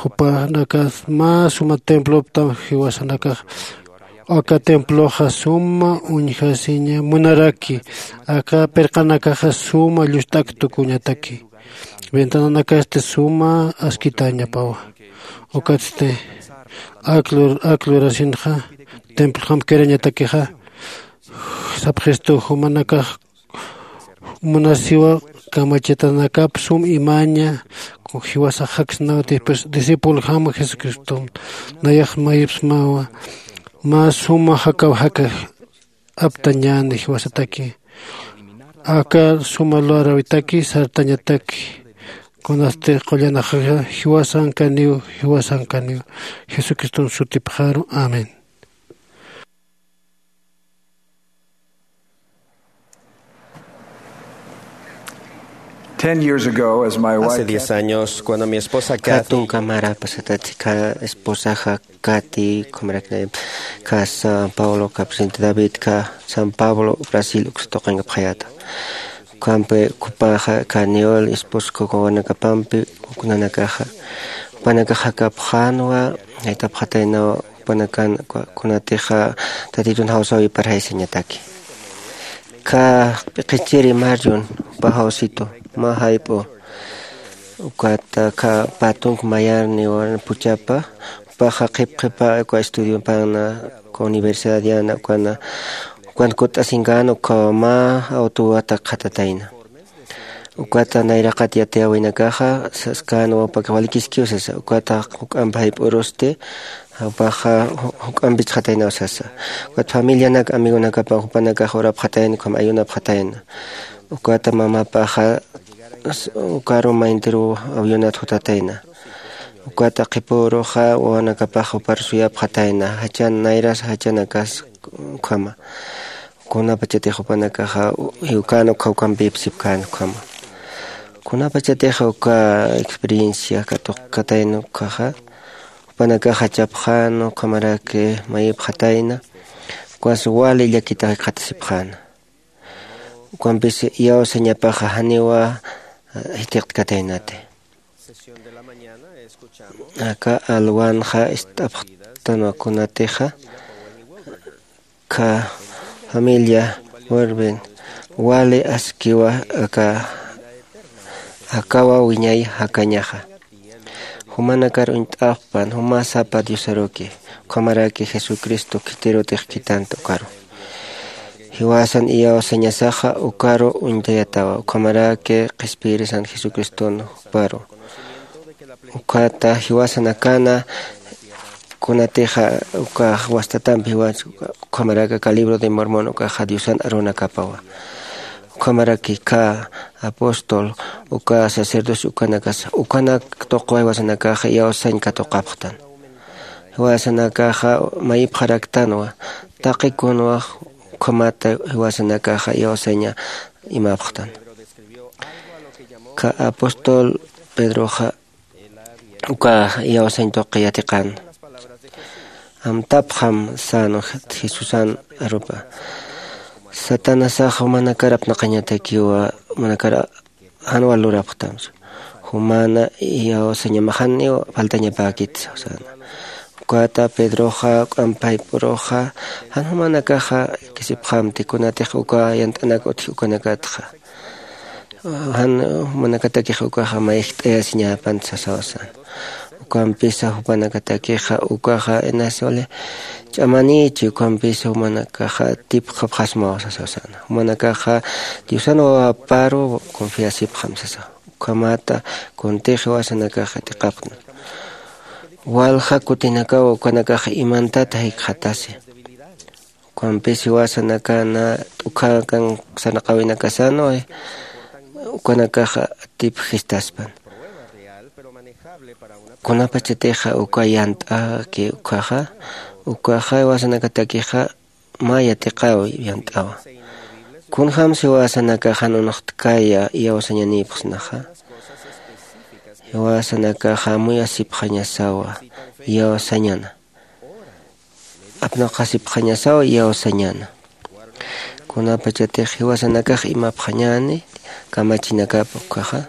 Jupanakas mä suma temploptaw jiwasanakax. Aka temploxa suma uñjasiña munaraki. Aka pirqanakaxa suma llustak tukuñataki. Ventananakasti suma askitañapawa. Ukatsti ak lur- ak lurasinxa templojam kirañatakixa. Sapxistu jumanakax munasiwa kamachitanakap sum imaña. Jiwasax jaksnaw discipulojama jesucristom. Nayax mayipsmawa mä suma jakaw jaka aptañäni jiwasataki. Aka suma luräwitaki sartañataki. Kunasti qullanaxaxa jiwasankaniw jiwasankaniw. Jesucriston sutipxaru amén. Ten years ago, as my wife Hace diez años, cuando mi esposa Kathy Katunka mara pasatati ka esposaxa Kati, kumarakna ka San Paulo, ka presidente David, ka San Pablo, Brasil, uksa tuqinkapaxayata. Kampi kupaxa ka Niol, esposa, kuka wanakapampi, kunanakaxa, jupanakaxa kapxanwa, jaytapxataynawa, jupanakan, kunatixa, tatitun jawsaw iparjaysañataki. Ka p'iqichiri Marion, jupa jawsitu, mä jayp'u, ukata ka patunk mayarni waran puchapa, jupaxa qhip qhipa, uka estudiopanna, uka universidad yana, ukana, ukan kut'asinkän, uka mä autowata qhatatayna. Ukata nayraqat yatiyäwinakaxa, saskan wawpaka walikiskiw sasa, ukata juk'amp jayp'urusti, jupaxa ju- juk'ampichxataynaw sasa. Ukat familianak, amigonakapa jupanakax urapxatayna, ukham ayunapxatayna. Ukata mamapaxa s- ukaru mayntiriw avionat jutatayna. Ukata qhipüruxa wawanakapax jupar suyapxatayna, jachan nayras jachanakas ukhama. Kunapachatix jupanakaxa jiwkän ukha ukampïpsipkän ukhama. Kunapachatix uka experiencia katuqkatayna ukhaxa, jupanakaxa chapxäna, ukhamaraki mayipxatayna, ukas wali llakitax jikxatasipxäna. Ukampis iyawsañapaxa janiwa jithiqtkataynati. Aka alwanxa ist'apxtanwa kunatixa, ka familia Werben wali askiwa aka akawa wiñay jakañaxa. Jumanakar uñt'apxpan juma sapa Diosaruki, ukhamaraki Jesucristo khitirutix khitanta ukaru. Jiwasan iyawsañasaxa ukaru uñtayatawa, ukhamaraki qhispiyirisan Jesucriston juparu. Ukhata jiwasanakana kunatixa uka wastatampi jiwas ukhamaraki aka libro de Mormon ukaxa Diosan arunakapawa. Ukhamaraki khä apóstol uka sacerdocio ukanakasa ukanak tuqwa jiwasanakaxa iyawsañ katuqapxtan. Jiwasanakaxa mayipxaraktanwa taqi kunwa ukhamata jiwasanakaxa iyawsaña imapxtan. Khä apóstol pedroxa uka iyawsañ tuqi yatiqan. Amtapxam sän jesusan arupa. Satanasax jumanakar apnaqañatakiwa jumanakar jan wal lurapxtam. Jumana iyawsañamaxaniw faltañapäkit sawsäna. Ukata pedroxa k'ampayp'uruxa jan jumanakaxa kisipxamti kunatix uka yant'anak utji ukanakatxa jan jumanakatakix ukaxa mayjt'ayasiñäpan sasaw sän. Ukampisa jupanakatakixa ukaxa inasuli ch'amanïchi ukampisa jumanakaxa tipxapxasmaw sasaw sän. Jumanakaxa diosan wawaparu confiasipxam sasaw. Ukhamata kuntix jiwasanakaxa yatiqapxtan. Walja kutinakaw ukanakaxa imantat jikxatasi. Ukampis jiwasanakana t'ukhakan sarnaqäwinakasanwa ukanakaxa tipjistaspan. Kunapachatixa uka yant'aki ukhaxa ukaxa jiwasanakatakixa mä yatiqäwi yant'awa. Kunjämsa jiwasanakaxa jan unuxtkaya iyawsañanïpxsnaxa jiwasanakaxa amuyasipxañasawa iyawsañana. Apnaqasipxañasaw iyawsañäna. Kunapachatix jiwasanakax imapxañäni kamachinakap ukkhaxa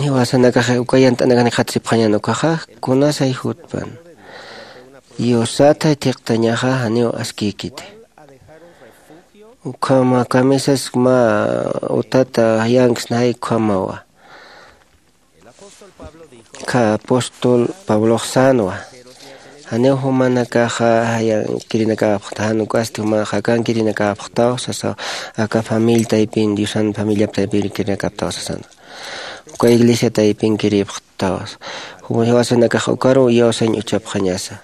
jiwasanakax uka yant'anakan jikxatasipxañäna ukkhaxa kunasay jutpan. Diosatay thiqtañaxa janiw askïkiti. Ukhama kamisas mä utata yanksnay ukhamawa. Khä apóstol pablox sänwa janiw jumanakaxa jayankirinakapxta jan uk'asti jumaxa akankirinakapxtaw sasaw. Aka familia taypin diosan familiap taypin kirinakaptaw sasan. Uka iglesia taypin kiripxtaw. Jiwasanakax ukaruw iyawsañ uchapxañasa.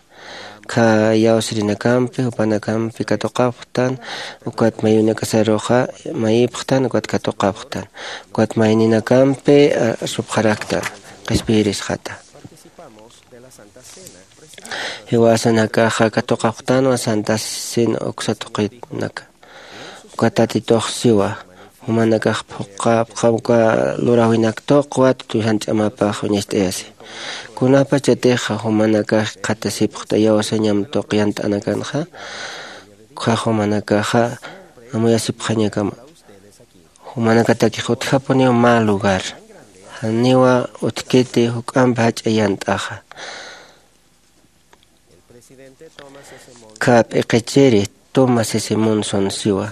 Khä iyawsirinakampi jupanakampi katuqapxtan. Ukat mayunakasaruxa mayipxtan ukat katuqapxtan. Ukat mayninakampi arsupxaraktan qhispiyirisxata. Jiwasanakaxa katuqapxtanwa santa cena uksa tuqinaka. Uka tatituxsiwa jumanakax phuqhapxam uka luräwinak tuqwat tusan ch'amapax uñacht'ayasi. Kunapachatixa jumanakax jikxatasipxta iyawsañam tuq yant'anakanxa. Ukkhax jumanakaxa amuyasipxañakama. Jumanakatakix utjapuniw mä lugar janiwa utjkiti juk'amp jach'a yant'axa. Khä p'iqichiri tuma sisimun sonsiwa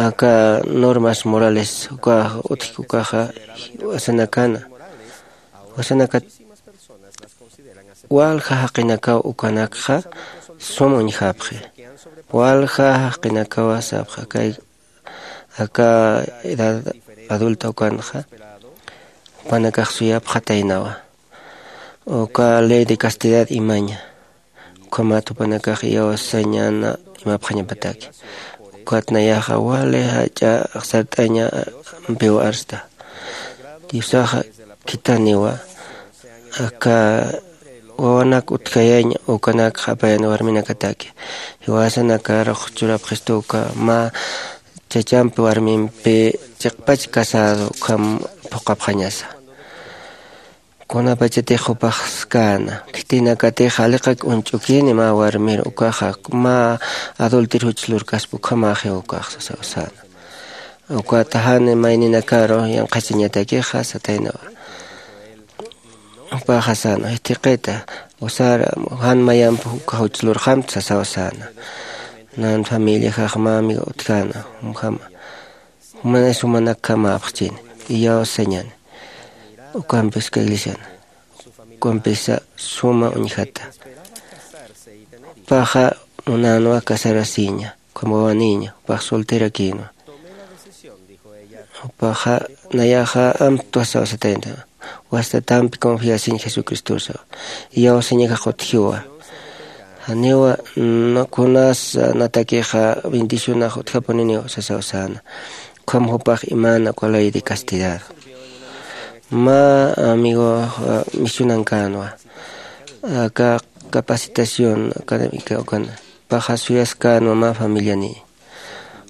aka normas morales ukax utjki ukaxa jiwasanakana jiwasanakat walja jaqinakaw ukanakxa sum uñjapxi. Walja jaqinakawa sapxi kay aka edad adulta ukanxa jupanakax suyapxataynawa uka ley de castidad imaña. Ukhamat jupanakax iyawsañana imapxañapataki. Ukat nayaxa wali jach'a sart'aña ampiw arsta. Diosaxa khithaniwa aka wawanak utjayañ ukanakxa apayan warminakataki. Jiwasanakarux churapxistu uka mä chachampi warmimpi chiqpach casado ukham phuqhapxañasa. Kunapachatix jupax skäna khitinakatix aliqak uñch'ukini mä warmir ukaxa mä adultir juch lurkaspa ukhamäxiw ukax sasaw säna. Ukata jan mayninakaru yanqhachañatakixa sataynawa. Jupaxa säna jithiqita usar jan mayamp uka juch lurxamta sasaw säna. Nan familiaxax mä amiga utjäna jumjama jumanay sumanakjamäpxchini iyawsañani. Ukampis uka iglesiana ukampisa suma uñjata. Jupaxa munänwa casarasiña ukham wawanïña jupax solterakïnwa. Jupaxa nayaxa amtwa saw satayna wastatampi confiasiñ jesucristosa. Iyawsañakax utjiwa Janiwa kunas natakixa bendicionax utjapuniniw sasaw säna. Ukham jupax imana uka ley de castidad mä amigox misionankänwa. Aka capacitación académica ukan paxa suyaskänwa mä familiani.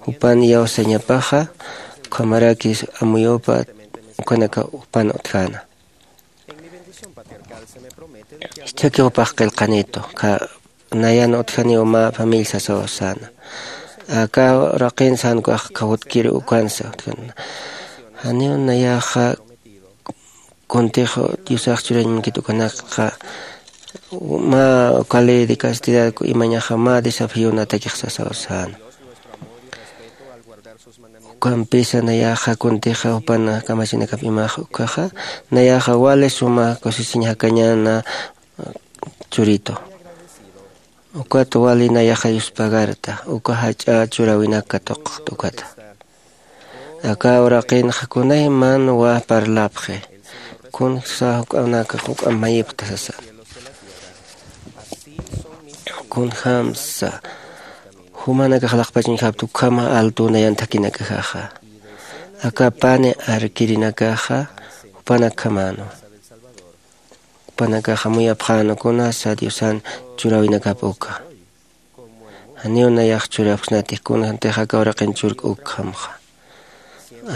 Jupan iyawsañapaxa ukhamarakis amuyupa ukanaka jupan utjäna. Jichhaki jupax qillqanitu nayan utjaniw mä familia sasaw säna. Aka uraqin sänkax kawutkir ukansa utjana. Janiw nayaxa kuntix diosax churañ munkit ukanakxa mä uka ley de castidad imañaxa mä desafion atakix sasaw säna. Ukampisa nayaxa kuntixa jupan kamachinakap imax ukaxa nayaxa wali suma kusisiñ jakañäna churitu. Ukat wali nayaxa yuspagarta uka jach'a churäwinak katuqxt ukata. Aka uraqinxa kunaymanwa parlapxi kunsa juk'anak juk'amp mayipxta sasa. Kunjämsa jumanakax laqpachañjapta ukhama altu nayan thakinakajaxa. Aka pani arkirinakaxa jupanakjamänwa. Jupanakaxa muyapxänwa kunasa diosan churäwinakap uka. Janiw nayax churapksnatix kunjantix aka uraqin churk ukjamxa.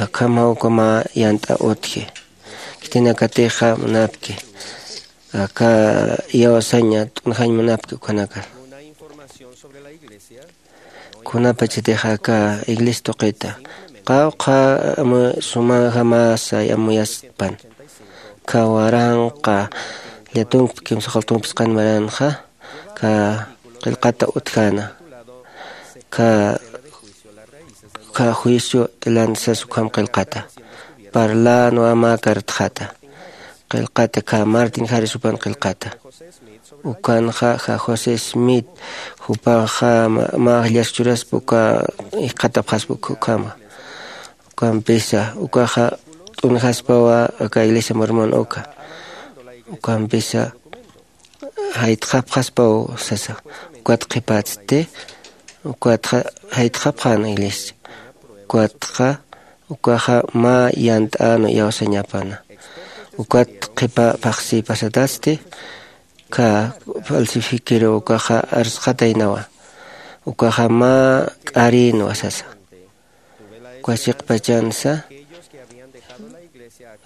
Akhamaw uka mä yant'a utji. Khitinakatixa munapki aka iyawsaña t'unjañ munapki ukanaka. Kunapachatix aka iglesia tuqita qawqha amu sumajamäsa amuyaspan. Kha waranqa llatunkpi kimsaqaltunkpisqan maranxa kha qillqata utjäna. Kha kha juicio tilan sas ukham qillqata. Parlänwa mä kartxata qillqata kha martin jaris jupan qillqata. Ukanxa ja josé smith jupaxa mä jillas churaspa uka jikxatapxaspa ukhama. Ukampisa ukaxa t'unjaspawa aka iglesia mormon uka. Ukampisa jaytxapxaspaw sasa. Ukat qhipatsti ukatxa jaytxapxän iglesia. Ukatxa ukaxa mä yant'änwa iyawsañapana. Ukat qhipa phaxsi pasatasti kha falsifikiru ukaxa arsxataynawa. Ukaxa mä k'arïnwa sasa. Uka chiqpachansa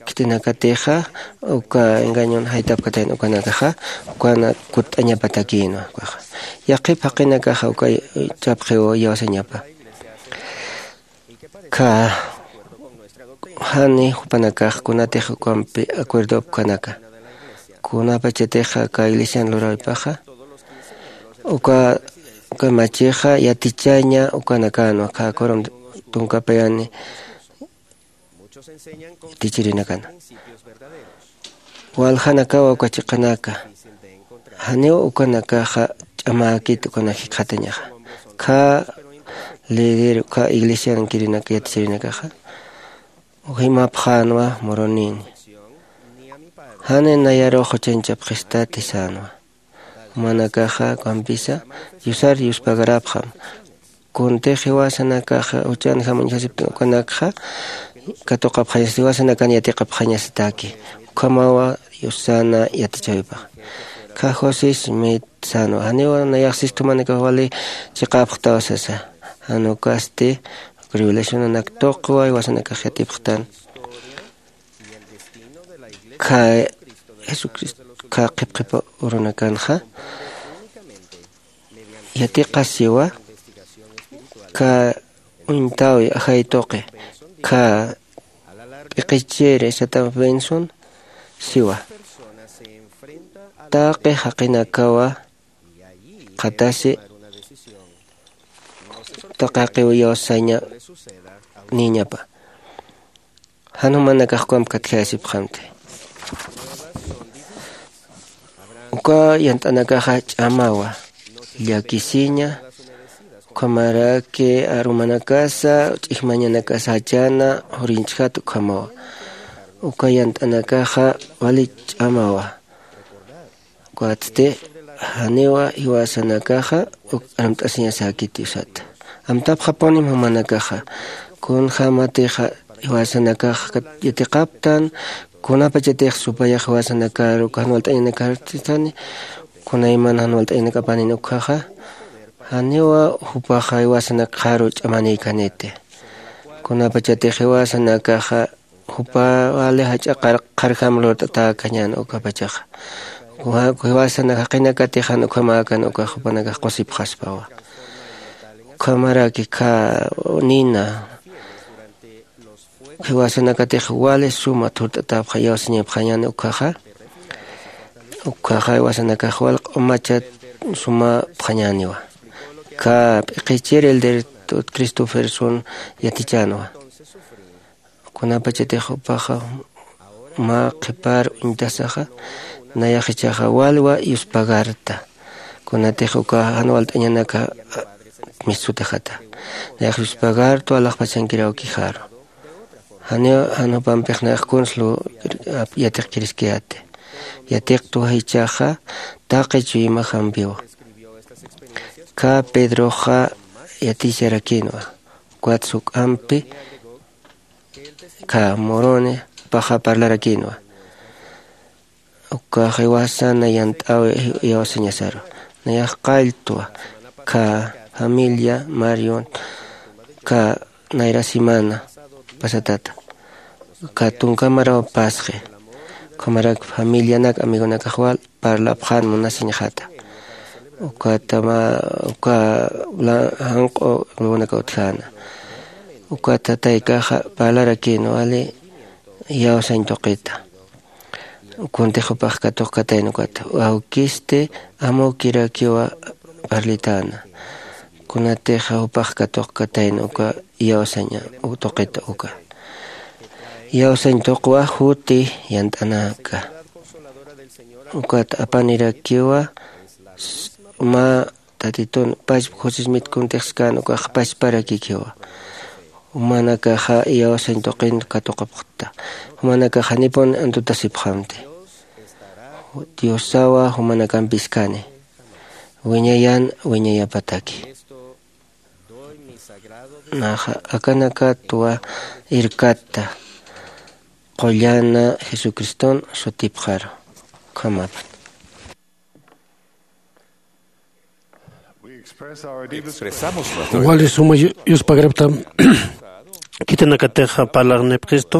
khitinakatixa uka engañon jaytapkatayna ukanakaxa ukana kutt'añapatakïnwa ukaxa. Yaqhip jaqinakaxa uka chapxiw iyawsañapa. Kha jani jupanakax kunatix ukampi acuerdopkanaka kunapachatixa aka iglesian lurawaypaxa uka kamachixa yatichaña ukanakänwa kha kurum tunkapayani yatichirinakana. Waljanakawa uka chiqanaka janiw ukanakaxa ch'amäkit ukanak jikxatañaxa. Kha lidir uka iglesiankirinaka yatichirinakaxa jimapxänwa murunïni. Jani nayarux juchañchapxistati sänwa. Jumanakaxa ukampisa yusar yuspagarapxam. Kuntix jiwasanakaxa juchan jamuñjasiptin ukanakxa katuqapxañasat jiwasanakan yatiqapxañasataki. Ukhamawa yusana yatichäwipaxa. Kha josé smith sänwa janiwa nayax sisthumanakax wali chiqapxtaw sasa. Jan ukasti revelacionanak tuqwa jiwasanakax yatipxtan. Kha jesucristo kha qhipqhipa urunakanxa yatiqasiwa kha uñtawi ajay tuqi kha p'iqichiri satan benson siwa. Taqi jaqinakawa qhatasi taqi jaqiw iyawsaña niñapa. Jan jumanakax ukamp katjayasipxamti. Uka yant'anakaxa ch'amawa llakisiña ukhamaraki arumanakasa ch'ijmañanakasa jachana juriñchjat ukhamawa. Uka yant'anakaxa wali ch'amawa. Ukatsti Janiwa jiwasanakaxa uk armt'asiñasäkiti usata. Amtapxapunim jumanakaxa kunjämatixa jiwasanakax yatiqaptan, kunapachatix supayax jiwasanakaru jan walt'añanakartistani, kunayman jan walt'añanakapanin ukjaxa janiwa jupaxa jiwasanakxaru ch'amanïkaniti. Kunapachatix jiwasanakaxa jupa wali jach'a qar- qharjam lurt'atäkañän ukapachaxa. Jiwasanak jaqinakatix jan ukhamäkan ukax jupanakax qusipxaspawa. Ukhamaraki khä nina jiwasanakatix wali suma thurt'atäpxa iyawsañapxañäni ukkhaxa. Ukkhaxa jiwasanakax wal q'umachat sumapxañäniwa. Khä p'iqichir elder Christopherson yatichänwa. Kunapachatix jupaxa mä qhipar uñtasaxa, nayax ichaxa walwa yuspagarta. Kunatix uka jan walt'añanaka mistsutixata, nayax yuspagartwa alaxpachankiraw kijaru. Janiw jan jupampix nayax kuns lur yatiqkiriskayäti. Yatiqtwa jichhaxa taqi chuymajampiwa. Khä pedroxa yaticharakïnwa. Ukat juk'ampi khä moroni jupaxa parlarakïnwa. Ukax jiwasana yant'äwi iyawsañasaru. Nayax qalltwa khä familia marion khä nayra semana pasatata khä tunka maraw pasxi. Ukhamarak familianak amigonakax wal parlapxän munasiñxata. Ukata mä uka janq'u luwanaka utjäna. Ukata taykaxa parlarakïn wali iyawsañ tuqita. Kuntix jupax katuqkatayna ukata, awkisti amukirakiwa parlitäna. Kunatix jupax katuqkatayna uka iyawsañ tuqita uka. Iyawsañ tuqwa juti yant'anaka. Ukat apanirakiwa mä tatitun pachpa josismit kuntixskan ukax pachparakikiwa. Jumanakaxa iyawsañ tuqin katuqapxta. Jumanakax janipun antutasipxamti. Diosawa jumanakampiskani wiñayan wiñayapataki. Naxa akanakatwa irkatta qullana jesucriston sutipxaru. Ukhamapan. Wali suma yu- yuspagaraptam khitinakatix parlarnipxistu,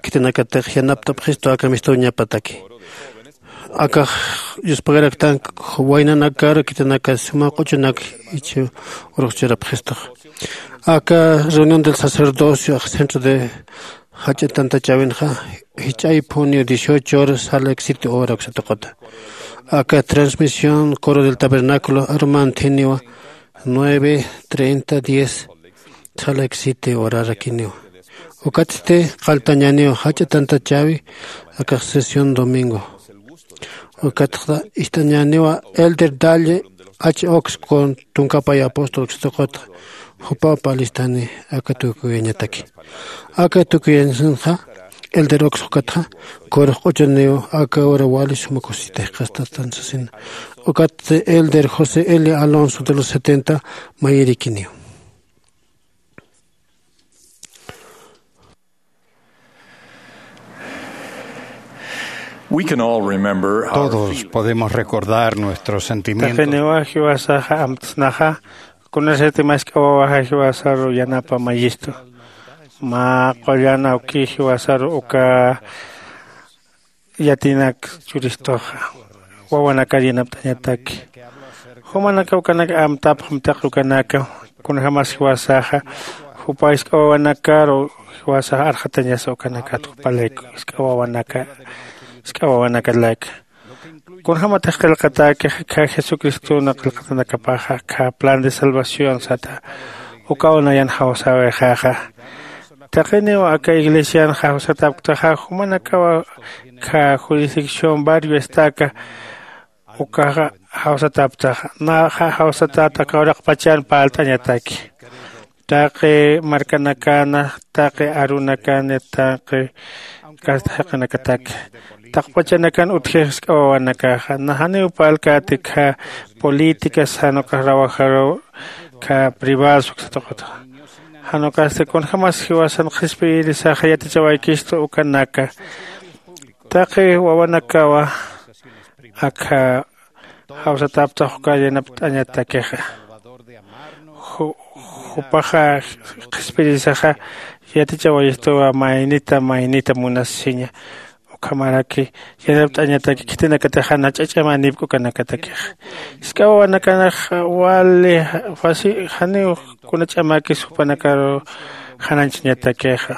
khitinakatix yanaptapxistu aka mistuñapataki. Akax yuspagaraktan waynanakar khitinaka suma q'uchunak ichi urxchurapxistux. Aka reunión del sacerdocio centro de jach'a tantachäwinxa jich'ay phuniw dieciocho horas sala exite hora uksatuqata. Aka transmisión coro del tabernáculo arumanthiniwa nueve treinta diez sala exite horarakiniwa. Ukatsti qalltañäniw jach'a tantachäwi akax sesión domingo. Ukatxa ist'añäniwa elder dalle h ox con tunkapay apóstol uksatuqata. Jupaw parlistani aka tukuyañataki. Aka tukuyañasanxa elder ox ukatxa kurux q'uchuniw aka hora wali suma kusisita jikxastatan sasina. Ukat elder josé l alonso de los setenta mayirikiniw. Todos podemos recordar nuestros sentimientos. Taqiniwa jiwasaxa amtsnaxa kunasati mask'a wawaxa jiwasaru yanapa mayistu. Mä qullan awki jiwasaru uka yatinak churistuxa wawanakar yanapt'añataki. Jumanaka ukanaka amtapxam taqi ukanaka kunjämas jiwasaxa jupa jisk'a wawanakaru jiwasaxa arxatañasa ukanakat jupa layku jisk'a wawanaka jisk'a wawanaka layka. Kunjämatix qillqatäki khä jesucristona qillqatanakapaxa khä plan de salvación sata. Ukaw nayan jawsäwixaxa taqiniw aka iglesian jawsatapktaxa jumanakawa khä jurisdicción barrio estaka ukaxa jawsatapktaxa naxa jawsatat aka uraqpachan parlt'añataki. Taqi markanakana taqi arunakani taqi kasta jaqinakataki taqpachanakan utjix sk'awawanakaxa najaniw parlkäti kha políticas jan ukax rawajaruw kha privados uksa tuqutxa. Jan ukasti kunjämas jiwasan qhispiyirisaxa yatichawaykistu ukanaka taqi wawanakawa akha jawsataptax uka yanapt'añatakixa. Jupaxa qhispirisaxa yatichawayistuwa maynita maynita munasiña. Ukhamaraki yanapt'añataki khitinakatixa na ch'ach'amanipk'ukanakatakixa. Isk'awawanakanxa wali fasi janiw kuna ch'amakis jupanakaru janañchañatakixa.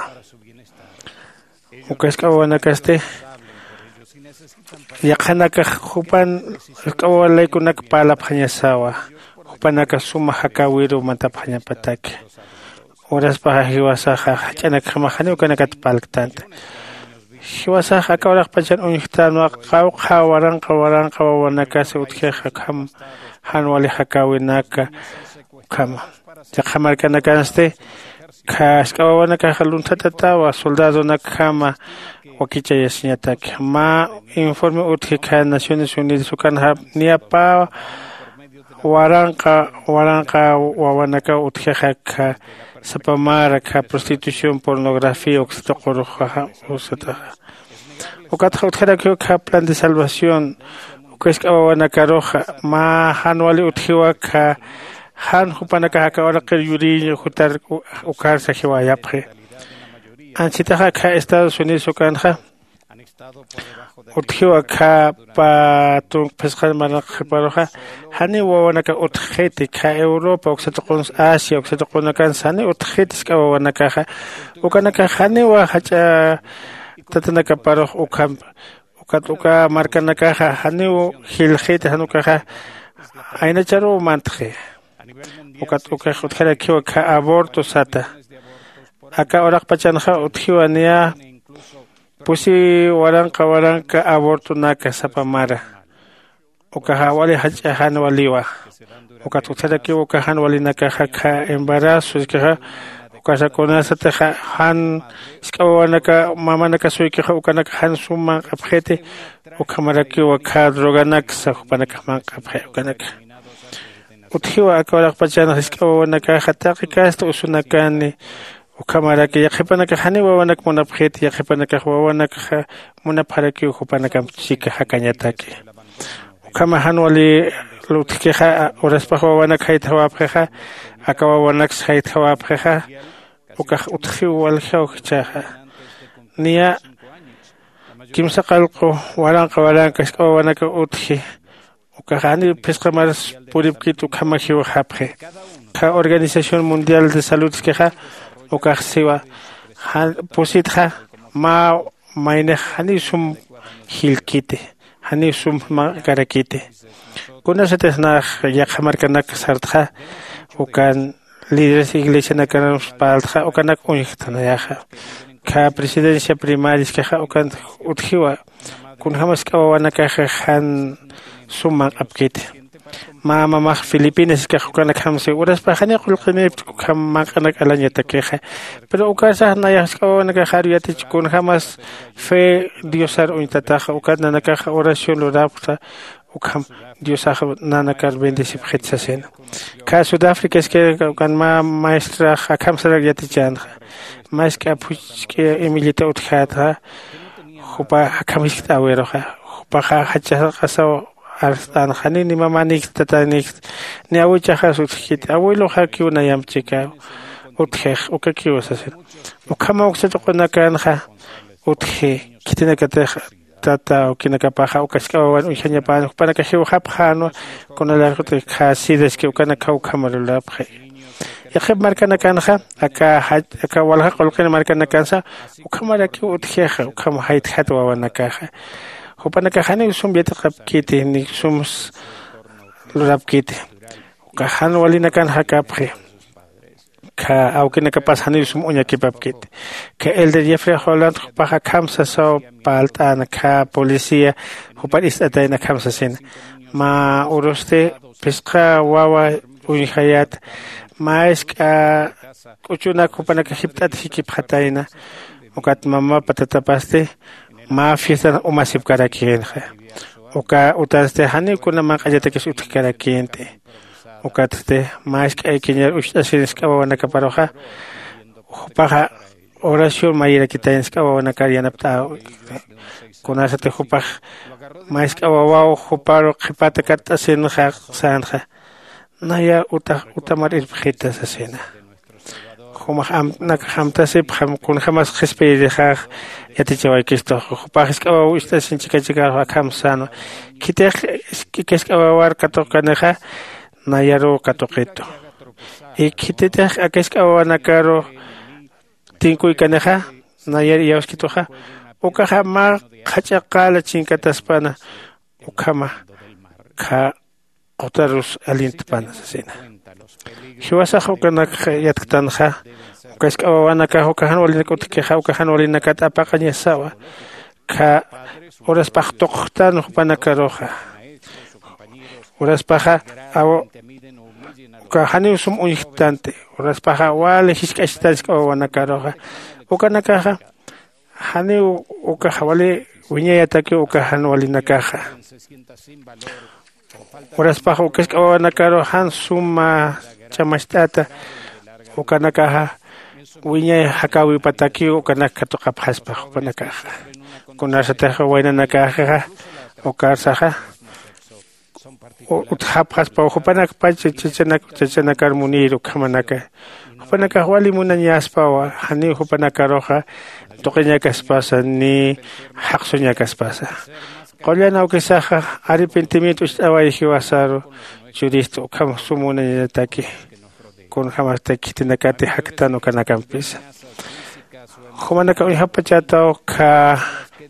Uka isk'awawanakasti yaqhanakax jupan isk'awawalaykunak parlapxañasawa. Jupanaka suma jakäwiru mantapxañapataki. Uraspaxa jiwasaxa jach'anakjamax janiw ukanakat parlktanti. Jiwasax aka uraqpachan uñjtänwa qawqha waranqa waranqa wawanakasa utjixa ukham jan wali jakäwinaka ukhama. Yaqha markanakansti kha isk'awawanakaxa lunthatatawa soldadonakjama wakichayasiñataki mä informe utji kha naciones unidas ukanxa niya pä waranqa waranqa wawanakaw utjixa kha sapa mara kha prostitución pornografía uksa tuquruxa usataxa. Ukatxa utjarakiw kha plan de salvación uka isk'awawanakaruxa mä jan wali utjiwa kha jan jupanakax aka uraqir yuriñ jutar ukarsa jiwayapxi. Anchitaxa kha estados unidos ukanxa utjiwa kha pä tunka phisqan marnaq qhiparuxa janiw wawanaka utjxiti kha europa uksa tuqunsa asia uksa tuqunakansa janiw utjxiti isk'awawanakaxa. Ukanakax janiwa jach'a tatanakaparux ukhampa. Ukat uka markanakaxa janiw jilxiti jan ukaxa aynacharuw mantxi. Ukat ukax utjarakiwa kha aborto sata. Aka uraqpachanxa utjiwa niya pusi waranqa waranqa abortonaka sapa mara. Ukaxa wali jach'a jan waliwa. Ukat utjarakiw uka jan walinakaxa kha embarazo iskaxa ukasa kunasatixa jan isk'awawanaka mamanakasuykixa ukanaka jan sum manq'apxiti. Ukhamarakiwa kha droganaksa jupanakax manq'apxi ukanaka. Utjiwa aka uraqpachanxa isk'awawanakaxa taqi kasta usunakani. Ukhamaraki yaqhipanakax janiw wawanak munapxiti yaqhipanakax wawanakxa munapxarakiw jupanakamp chika jakañataki. Ukhama jan wali lutjkixa uraspax wawanak jaytjawapxixa aka wawanaksa jaytjawapxixa. Ukax utjiw waljaw jichhaxa niya kimsa qallqu waranqa waranqa isk'awawanaka utji. Ukax janiw phisqa maras puripkit ukhama jiwxapxi. Kha organización mundial de salud iskixa ukax siwa pusitxa mä maynix janiw sum jillkiti janiw sum manq'karakiti. Kunasatix nax yaqha markanak sartxa ukan líderes iglesianakanus parltxa ukanak uñjktanayaxa. Kha presidencia primaria iskaxa ukan utjiwa kunjämas k'awawanakaxa jan sum manq'apkiti. Mä mamax filipinas iskax ukanakjamsi uraspax janiw qullqiniptk ukham manq'anak alañatakixa. Pero ukasax nayax k'awawanakaxaru yatich kunjämas fe diosar uñtataxa ukat nanakaxa oración lurapxta. Ukham diosax nanakar bendecipxit sasina. Kha sudafrica iskir ukan mä maestrax akham sarak yatichänxa. Mä isk'a phuchk'i imillita utjätxa jupa akham jiskt'äwiruxa. Jupaxa jach'a sarqasaw arst'änxa ni ni mamanïkta tataynïkta ni awichaxas utjkiti awiluxakiw nayamp chikaw utjix ukakiw sasina. Ukhama uksa tuqunakanxa utji khitinakatix tata awkinakapaxa uka jisk'a wawan uñjañapäna jupanakax jiwxapxänwa. Kuna larjutix khä sidaski ukanakxa ukhama lurapxi. Yaqhip markanakanxa aka walja qullqin markanakansa ukhamarakiw utjixa ukham jaytjat wawanakaxa. Jupanakax janiw sum yatiqapkiti ni sums lurapkiti. Ukax jan walinakan jakapxi. Kha awkinakapas janiw sum uñakipapkiti. Kha elder jeffrey holland jupax akham sasaw parlt'äna kha policía jupar ist'atayna akham sasina. Mä urusti phisqa wawa uñjayät mä isk'a k'uchunak jupanaka jipt'at jikipxatayna. Ukat mamapa tatapasti mä fiestan umasipkarakïnxa. Uka utansti janiw kuna manq'añatakis utjkarakïnti. Ukatsti mä isk'aykiñar ucht'asin isk'a wawanakaparuxa, jupaxa oración mayirakitañ isk'a wawanakar yanapt'äwi. Kunasati jupax mä isk'a wawaw juparu qhipata katt'asinxa sänxa, nayar utax utamar irpxita sasina. Jumax amtnakax amtasipxam kunjämas qhispiyirixax yatichawaykistux. Jupax isk'awaw ist'asin chikachikarux akham sänwa. Khitix isk'awawar katuqkanixa nayaruw katuqitu. Y khititix aka isk'awawanakaru tinkuykanixa nayar iyawskituxa, ukaxa mä qhach'a qala chinkataspana ukhama khä qutarus allintpana sasina. Jiwasax ukanakxa yatktanxa, uka isk'awawanakax uka jan walinak utjkixa uka jan walinakat apaqañasawa. Khä uraspax tuqtan jupanakaruxa, uraspaxa aw uka janiw sum uñjktanti. Uraspaxa wali jisk'achtan isk'awawanakaruxa, ukanakaxa janiw ukaxa wali wiñayatakiw uka jan walinakaxa. Uraspaxa uka isk'awawanakaru jan suma ch'amacht'ata ukanakaxa wiñay jakäwipatakiw ukanak katuqapxaspa jupanakaxa. Kunasatix waynanakaxa ukarsaxa utjapxaspaw jupanakpach chachanakar munir ukhamanaka. Jupanakax wali munañaspawa janiw jupanakaruxa tuqiñakaspasa ni jaqsuñakaspasa. Qullan awkisaxa arrepentimiento ucht'away jiwasaru churista ukham sum munañataki. Kunjämasti khitinakati jaktan ukanakampisa. Jumanaka uñjapachätaw khä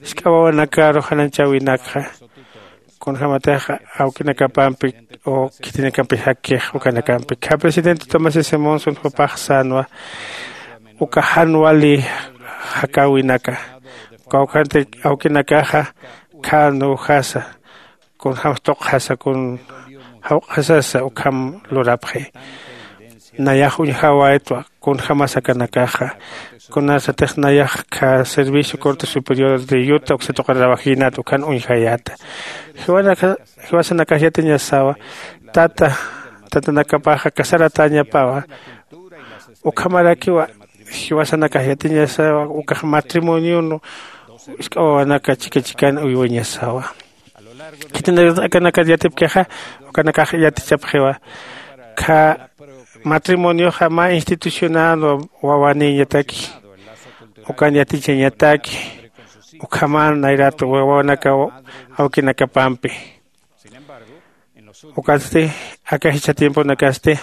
isk'awawanakaru jananchäwinakxa kunjämatix awkinakapampi o khitinakampi jakkix ukanakampi khä presidente tomás s monson jupax sänwa uka jan wali jakäwinaka kawkhanti awkinakaxa khä nuwjasa kunjämsa tuqjasa kun jawq'asasa ukham lurapxi. Nayax uñjawaytwa kunjämas akanakaxa kunasatix nayax khä servicio corte superior de yuta uksa tuqir rawajinat ukhan uñjayäta. Jiwasanakax yatiñasawa tata tatanakapaxa casaratäñapawa. Ukhamarakiwa jiwasanakax yatiñasawa ukax matrimonion isk'awawanaka chika chikan uywañasawa. Khitinakanakat yatipkixa ukanakax yatichapxiwa khä matrimonioxa mä institucional wawanïñataki ukan yatichañataki ukhaman nayrat wawanaka awkinakapampi. Ukatsti aka jichha tiemponakasti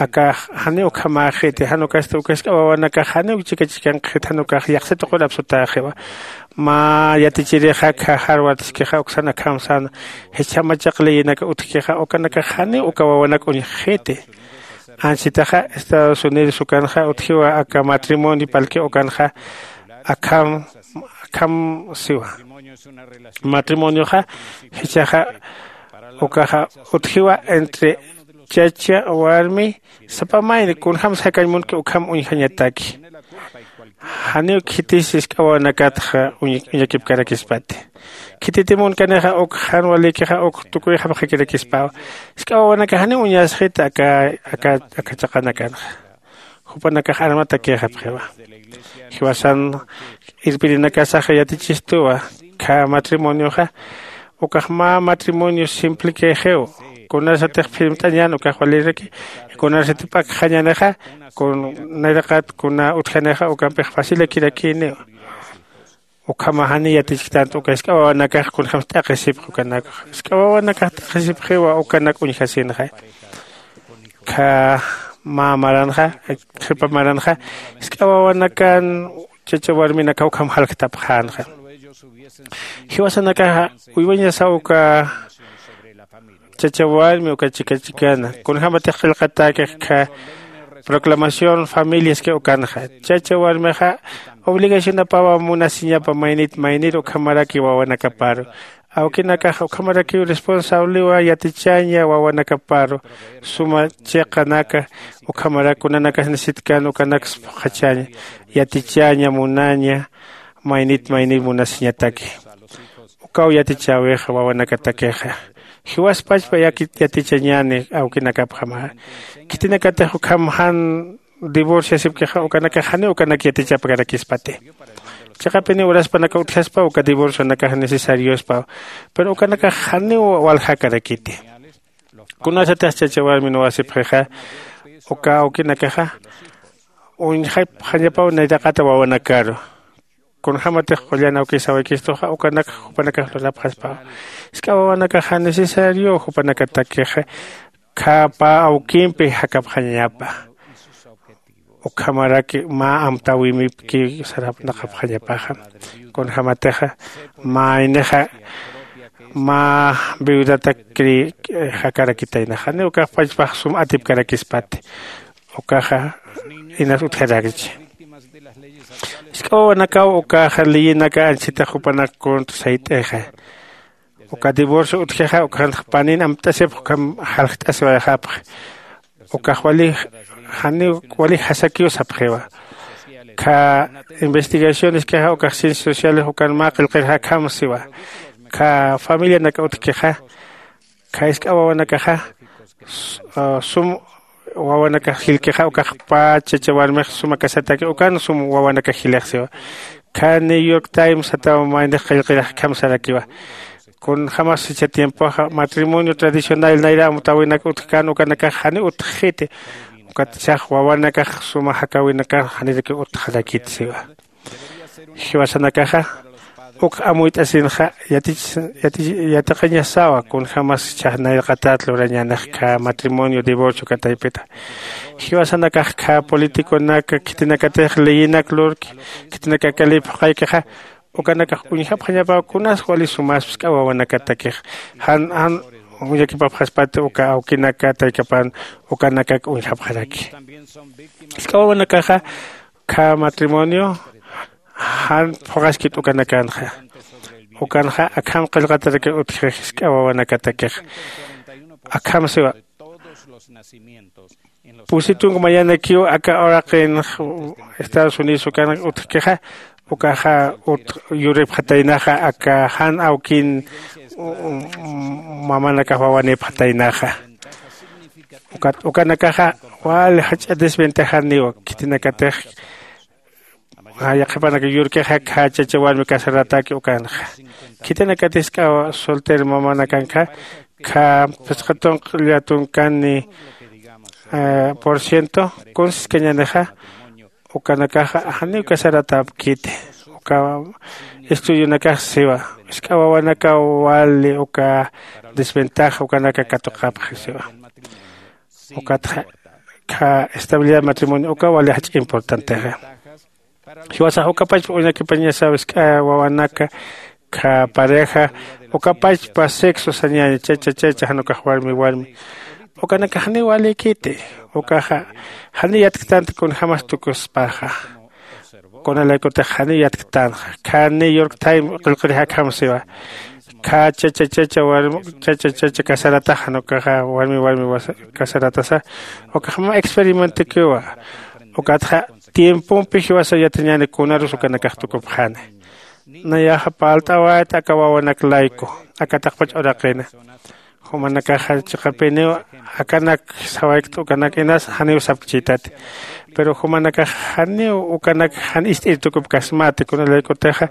akax janiw ukhamäxiti jan ukasti uka isk'a wawanakax janiw chika chikanqxiti jan ukax yaqsa tuqur apsutäxiwa. Mä yatichirixa khä harvard iskixa uksan akham sän jichha machaq leyenaka utjkixa ukanakax janiw uka wawanak uñjxiti. Ansitaxa estados unidos ukanxa utjiwa aka matrimonio parlki ukanxa akham akham siwa. Matrimonioxa jichhaxa ukaxa utjiwa entre chacha warmi sapa mayni kunjämsa jakañ munki ukham uñjañataki. Janiw khitis isk'awawanakatxa uñakipkarakispati. Khititi munkanixa uk jan walikixa uk tukuyxapxakirakispawa. Isk'awawanakax janiw uñasxita aka aka aka chaqanakanxa. Jupanakax armatakïxapxiwa. Jiwasan irpirinakasaxa yatichistuwa khä matrimonioxa ukax mä matrimonio simplekixiw. Kunasatix phirmt'añän ukax waliraki kunasatix p'akxañänixa kun nayraqat kuna utjanixa ukampix facilakirakïniw. Ukhama janiy yatichktanti uka isk'a wawanakax kunjämsa t'aqhisipxi ukanakxa. Isk'a wawanakax t'aqhisipxiwa ukanak uñjasinxa. Khä mä maranxa qhipa maranxa isk'a wawanakan chacha warminakaw ukham jalktapxänxa. Jiwasanakaxa uywañasaw uka chacha warmi uka chika chikana kunjämatix qillqatäkix khä proclamación familiaski ukanxa. Chacha warmixa obligacionapawa munasiñapa maynit maynir ukhamaraki wawanakaparu. Awkinakax ukhamarakiw responsablewa yatichaña wawanakaparu suma chiqanaka. Ukhamarak kunanakas necesitkan ukanaks phuqhachaña yatichaña munaña. Maynit maynit munasiñataki ukaw yatichäwixa wawanakatakixa. Jiwaspachpa yatichañäni awkinakapjama. Khitinakatix ukham jan divorciasipkixa ukanakax janiw ukanak yatichapkarakispati. Chiqapiniw uraspanaka utjaspa uka divorcionakax necesariospaw. Pero ukanakax janiw waljakarakiti. Kunasatix chacha warmi nuwasipxixa uka awkinakaxa uñjapxañapaw nayraqata wawanakaru. Kunjämatix qullan awkis sawaykistuxa ukanak jupanakax lurapxaspawa. Jisk'a wawanakaxa necesariow jupanakatakixa khapa awkimpi jakapxañapa. Ukhamaraki mä amtäwimipki sarapnaqapxañapaxa. Kunjämatixa maynixa mä viudatak jakarakitaynaxa janiw ukax pachpax sum atipkarakispati. Ukaxa inas utjarakchi. Jisk'a wawanakaw ukaxa leyinaka anchhitax jupanak contra sayt'ixa. Uka divorcio utjixa uka janx panin amt'asipx ukham jaljt'asiwayxapx. Ukax wali janiw wali jasakiw sapxiwa. Kha investigacioneskixa ukax ciencias sociales ukan mä qillqirxa akham siwa. Kha familianaka utjkixa kha jisk'a wawanakaxa sum wawanakax jilkixa ukax pä chacha warmix suma casataki ukan sum wawanakax jilix siwa. Kha new york times sataw maynix qillqirix akham sarakiwa. Kunjämas jichha tiempoxa matrimonio tradicional nayra amtäwinak utjkän ukanakax janiw utjxiti. Ukat sax wawanakax suma jakäwinakax janirakiw utjarakit siwa. Jiwasanakaxa uk amuyt'asinxa yatiqañasawa kunjämas jichhax nayraqatat lurañänix kha matrimonio divorcio uka taypita. Jiwasanakax kha politiconak khitinakatix leyinak lurki khitinaka kalï phuqhaykixa ukanakax uñjapxañapaw kunas wali sumaspa jisk'a wawanakatakix jan jan uñakipapxaspati uka awkinaka taykapan ukanakak uñjapxaraki. Jisk'a wawanakaxa kha matrimonio jan phuqhaskit ukanakanxa. Ukanxa akham qillqatarakir utjxi jisk'a wawanakatakix. Akham siwa pusi tunka mayanakiw aka uraqin estados unidos ukanak utjkixa ukaxa yuripxataynaxa aka jan awkin mamanakax wawanipxataynaxa. Ukat ukanakaxa wali jach'a desventajaniwa khitinakatix yaqhipanaka yurkixa kha chacha warmi casaratäki ukanxa. Khitinakatix jisk'a soltera mamanakankxa kha phisqa tunq'lla tunkani por ciento kunsiskañänixa. Ukanakaxa janiw casaratäpkiti. Uka estudionakax siwa jisk'a wawanakaw wali uka desventaja ukanaka katuqapxi siwa. Ukatxa kha estabilidad matrimonio uka wali jach'a importantexa. Jiwasax ukapachpa uñakipañasaw jisk'a wawanaka kha pareja ukapachpa sexo sañäña chacha chacha jan ukax warmi warmi. Ukanakax janiw walïkiti. Ukaxa janiw yatktanti kunjämas tukuspaxa. Kunalaykutix janiw yatktanxa kha new york time qillqirix akham siwa. Kha chacha chacha warmi chacha chacha casaratax jan ukaxa warmi warmi casaratasa ukax mä experimentikiwa. Ukatxa tiempompi jiwasaw yatiñäni kunarus ukanakax tukupxani. Nayaxa parlt'awayta aka wawanak layku aka taqpach uraqina. Jumanakaxa chiqapiniw akanak sawaykt ukanak inas janiw sapkchïtati. Pero jumanakax janiw ukanak jan ist'ir tukupkasmati kunalaykutixa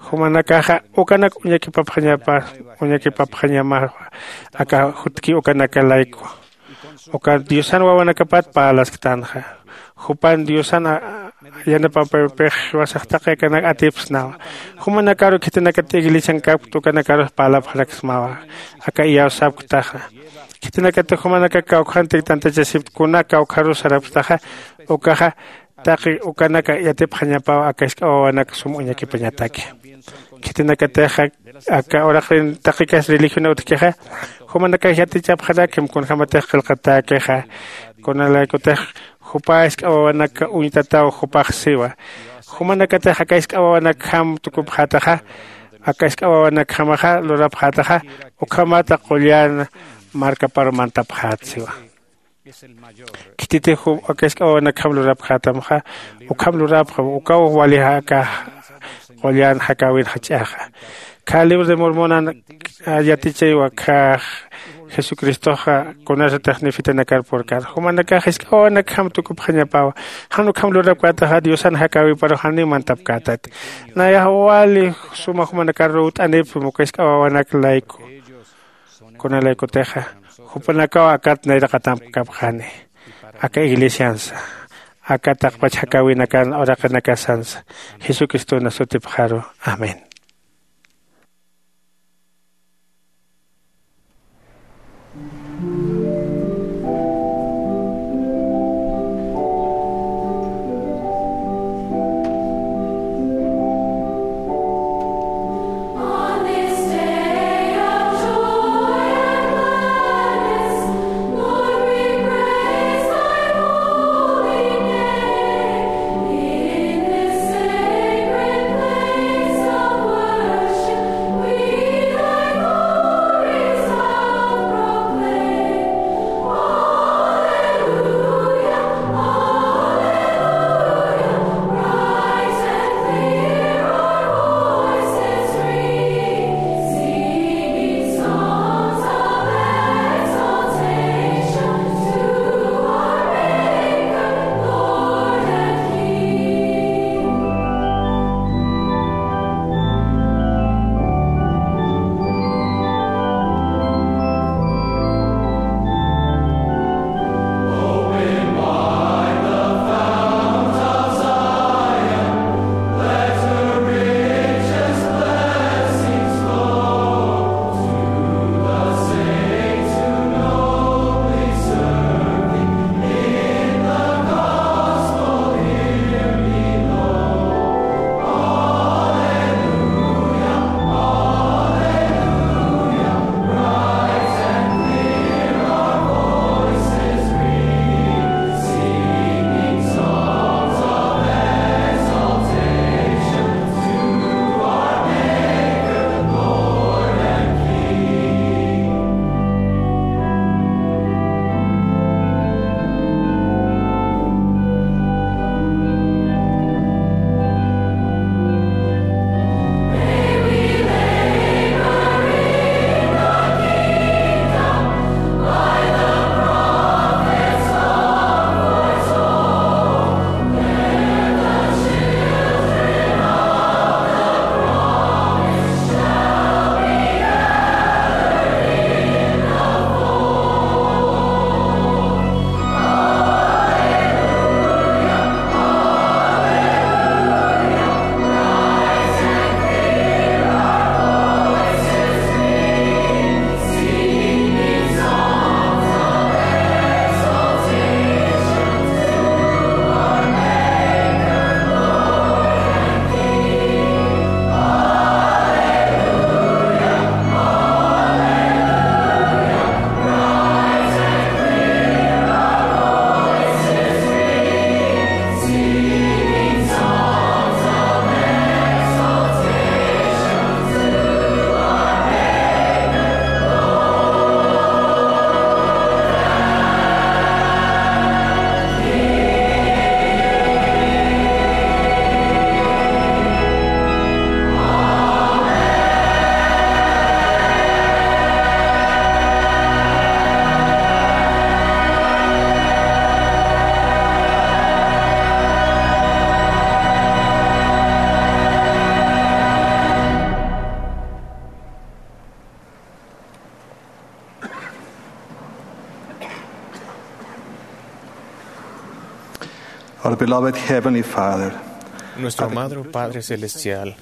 jumanakaxa ukanak uñakipapxañapa uñakipapxañamawa. Aka jutki ukanaka layku uka diosan wawanakapat parlasktanxa. Jupan diosan yanapapipix jiwasax taqi akanak atipsnawa. Jumanakaru khitinakat iglesiankapkta ukanakarux parlapxaraksmawa. Aka iyawsapktaxa khitinakatix jumanaka kawkhantik tantachasipkta kuna kawkharus sarapktaxa ukaxa taqi ukanaka yatipxañapaw aka jisk'a wawanak sum uñakipañataki. Khitinakatixa aka uraqin taqikas religiona utjkixa jumanakax yatichapxarakim kunjämatix qillqatäkixa. Kunalaykutix jupa jisk'a wawanaka uñtataw jupax siwa. Jumanakatix aka jisk'a wawanakjam tukupxätaxa aka isk'a wawanakjamaxa lurapxätaxa, ukhamata qullan markaparu mantapxät siwa. Khititix aka isk'a wawanakjam lurapxätamxa, ukham lurapxam, ukaw wali aka qullan jakäwin jach'axa. Kha libro de Mormonan yatichaywa kha Jesucristoxa kunasatix nefitanakar purkän. Jumanakax isk'a wawanakjam tukupxañapäwa. Jan ukham lurapkätaxa Diosan jakäwiparu janiw mantapkätati. Nayax wali suma jumanakar ruwt'anipxim uka isk'a wawanak layku. Kuna laykutixa jupanakaw akat nayraqatampkapxani aka iglesiansa, aka taqpach jakäwinakan uraqinakasansa, Jesucristona sutipxaru. Amén. Our beloved Heavenly Father, nuestro amado Padre Celestial,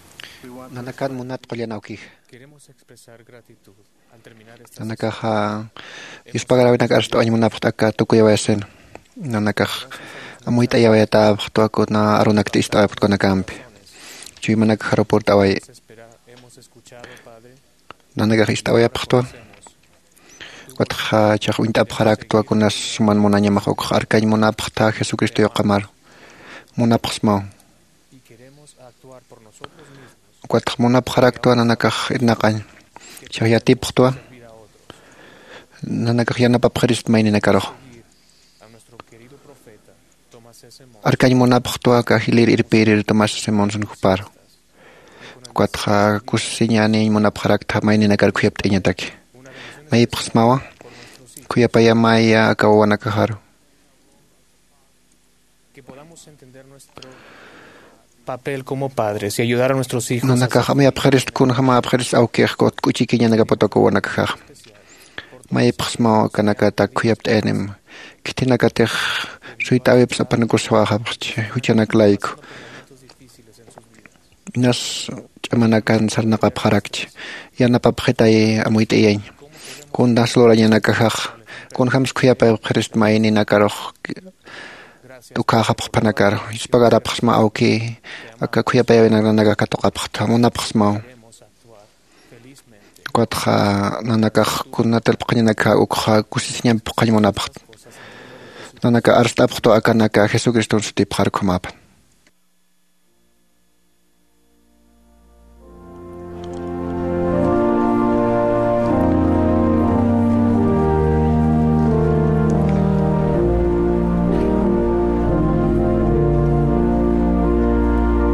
nanakan munat qullan awkix, queremos expresar gratitud al terminar esta, nanakaxa yuspagarawinakar arst'awañ munapxta aka tukuyawayasin. Nanakax amuyt'ayawayatäpxtwa kuna arunakti ist'awayapxtwa kunakampi. Chuymanakax jarupurt'away. Hemos escuchado, Padre, nanakax ist'awayapxtwa. Ukatxa chax uñt'apxaraktwa kunas suman munañamax ukx arkañ munapxta Jesucristo yuqamar. Munapxsmaw. Ukatxa munapxaraktwa nanakax irnaqañ. Chax yatipxtwa nanakax yanapapxirist mayninakarux. Arkañ munapxtwa aka jilir irpirir Tomás Simonson juparu. Ukatxa kusisiñäniñ munapxarakta mayninakar khuyapt'añataki. Mayipxsmawa khuyapayamaya aka wawanakaxaru. Que podamos entender nuestro papel como padres y ayudar a nuestros hijos a... Nanakax amuyapxirist kunjämäpxirist awkix kutk'uchikiñanakaputa aka wawanakaxaxa. Mayipxsmaw akanakatak khuyapt'ayanim. Khithinakatix suyt'äwipsa apanakusawäxapxchi juchanak layku. Inas ch'amanakan sarnaqapxarakchi. Yanapapxitay amuyt'ayañ. Kundas lurañanakaxax kunjämsa khuyapayapxirist mayninakarux t'ukhäxapxpanakaru. Ispagarapxsma awki aka khuyapayawinaknanakax katuqapxta munapxsmaw. Ukatxa nanakax kunatarpxañanakaxa ukxa kusisiñampi phuqhañ munapxta. Nanaka arst'apxtwa akanaka Jesucriston sutipxar ukhamäpan.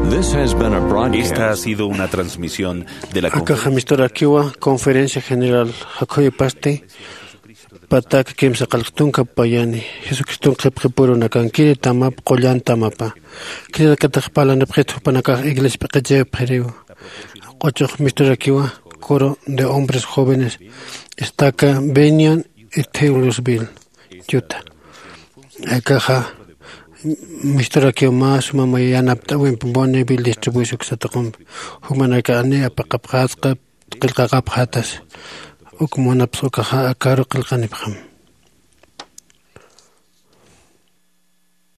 This has been a broadcast. Esta ha sido una transmisión de la... Akaxa conferencia... Misturakïwa conferencia general jakhuypasti patak kimsa qallq tunka payani Jesucriston qhipqipüru nakankiri tamap qullan tamapa. Khitinakatix parlanipxit jupanakax iglesia p'iqichipxiriw. Q'uchux misturakïwa coro de hombres jóvenes estaca Bennion y Taylorsville, Utah. Akaxa misturakïwa mä suma may yanapt'äwimpi Bonneville distribución uksa tuqumpi. Jumanakax janiw apaqapxätxa, qillqaqapxätasa. Uk munapxi ukaxa akaru qillqanipxam.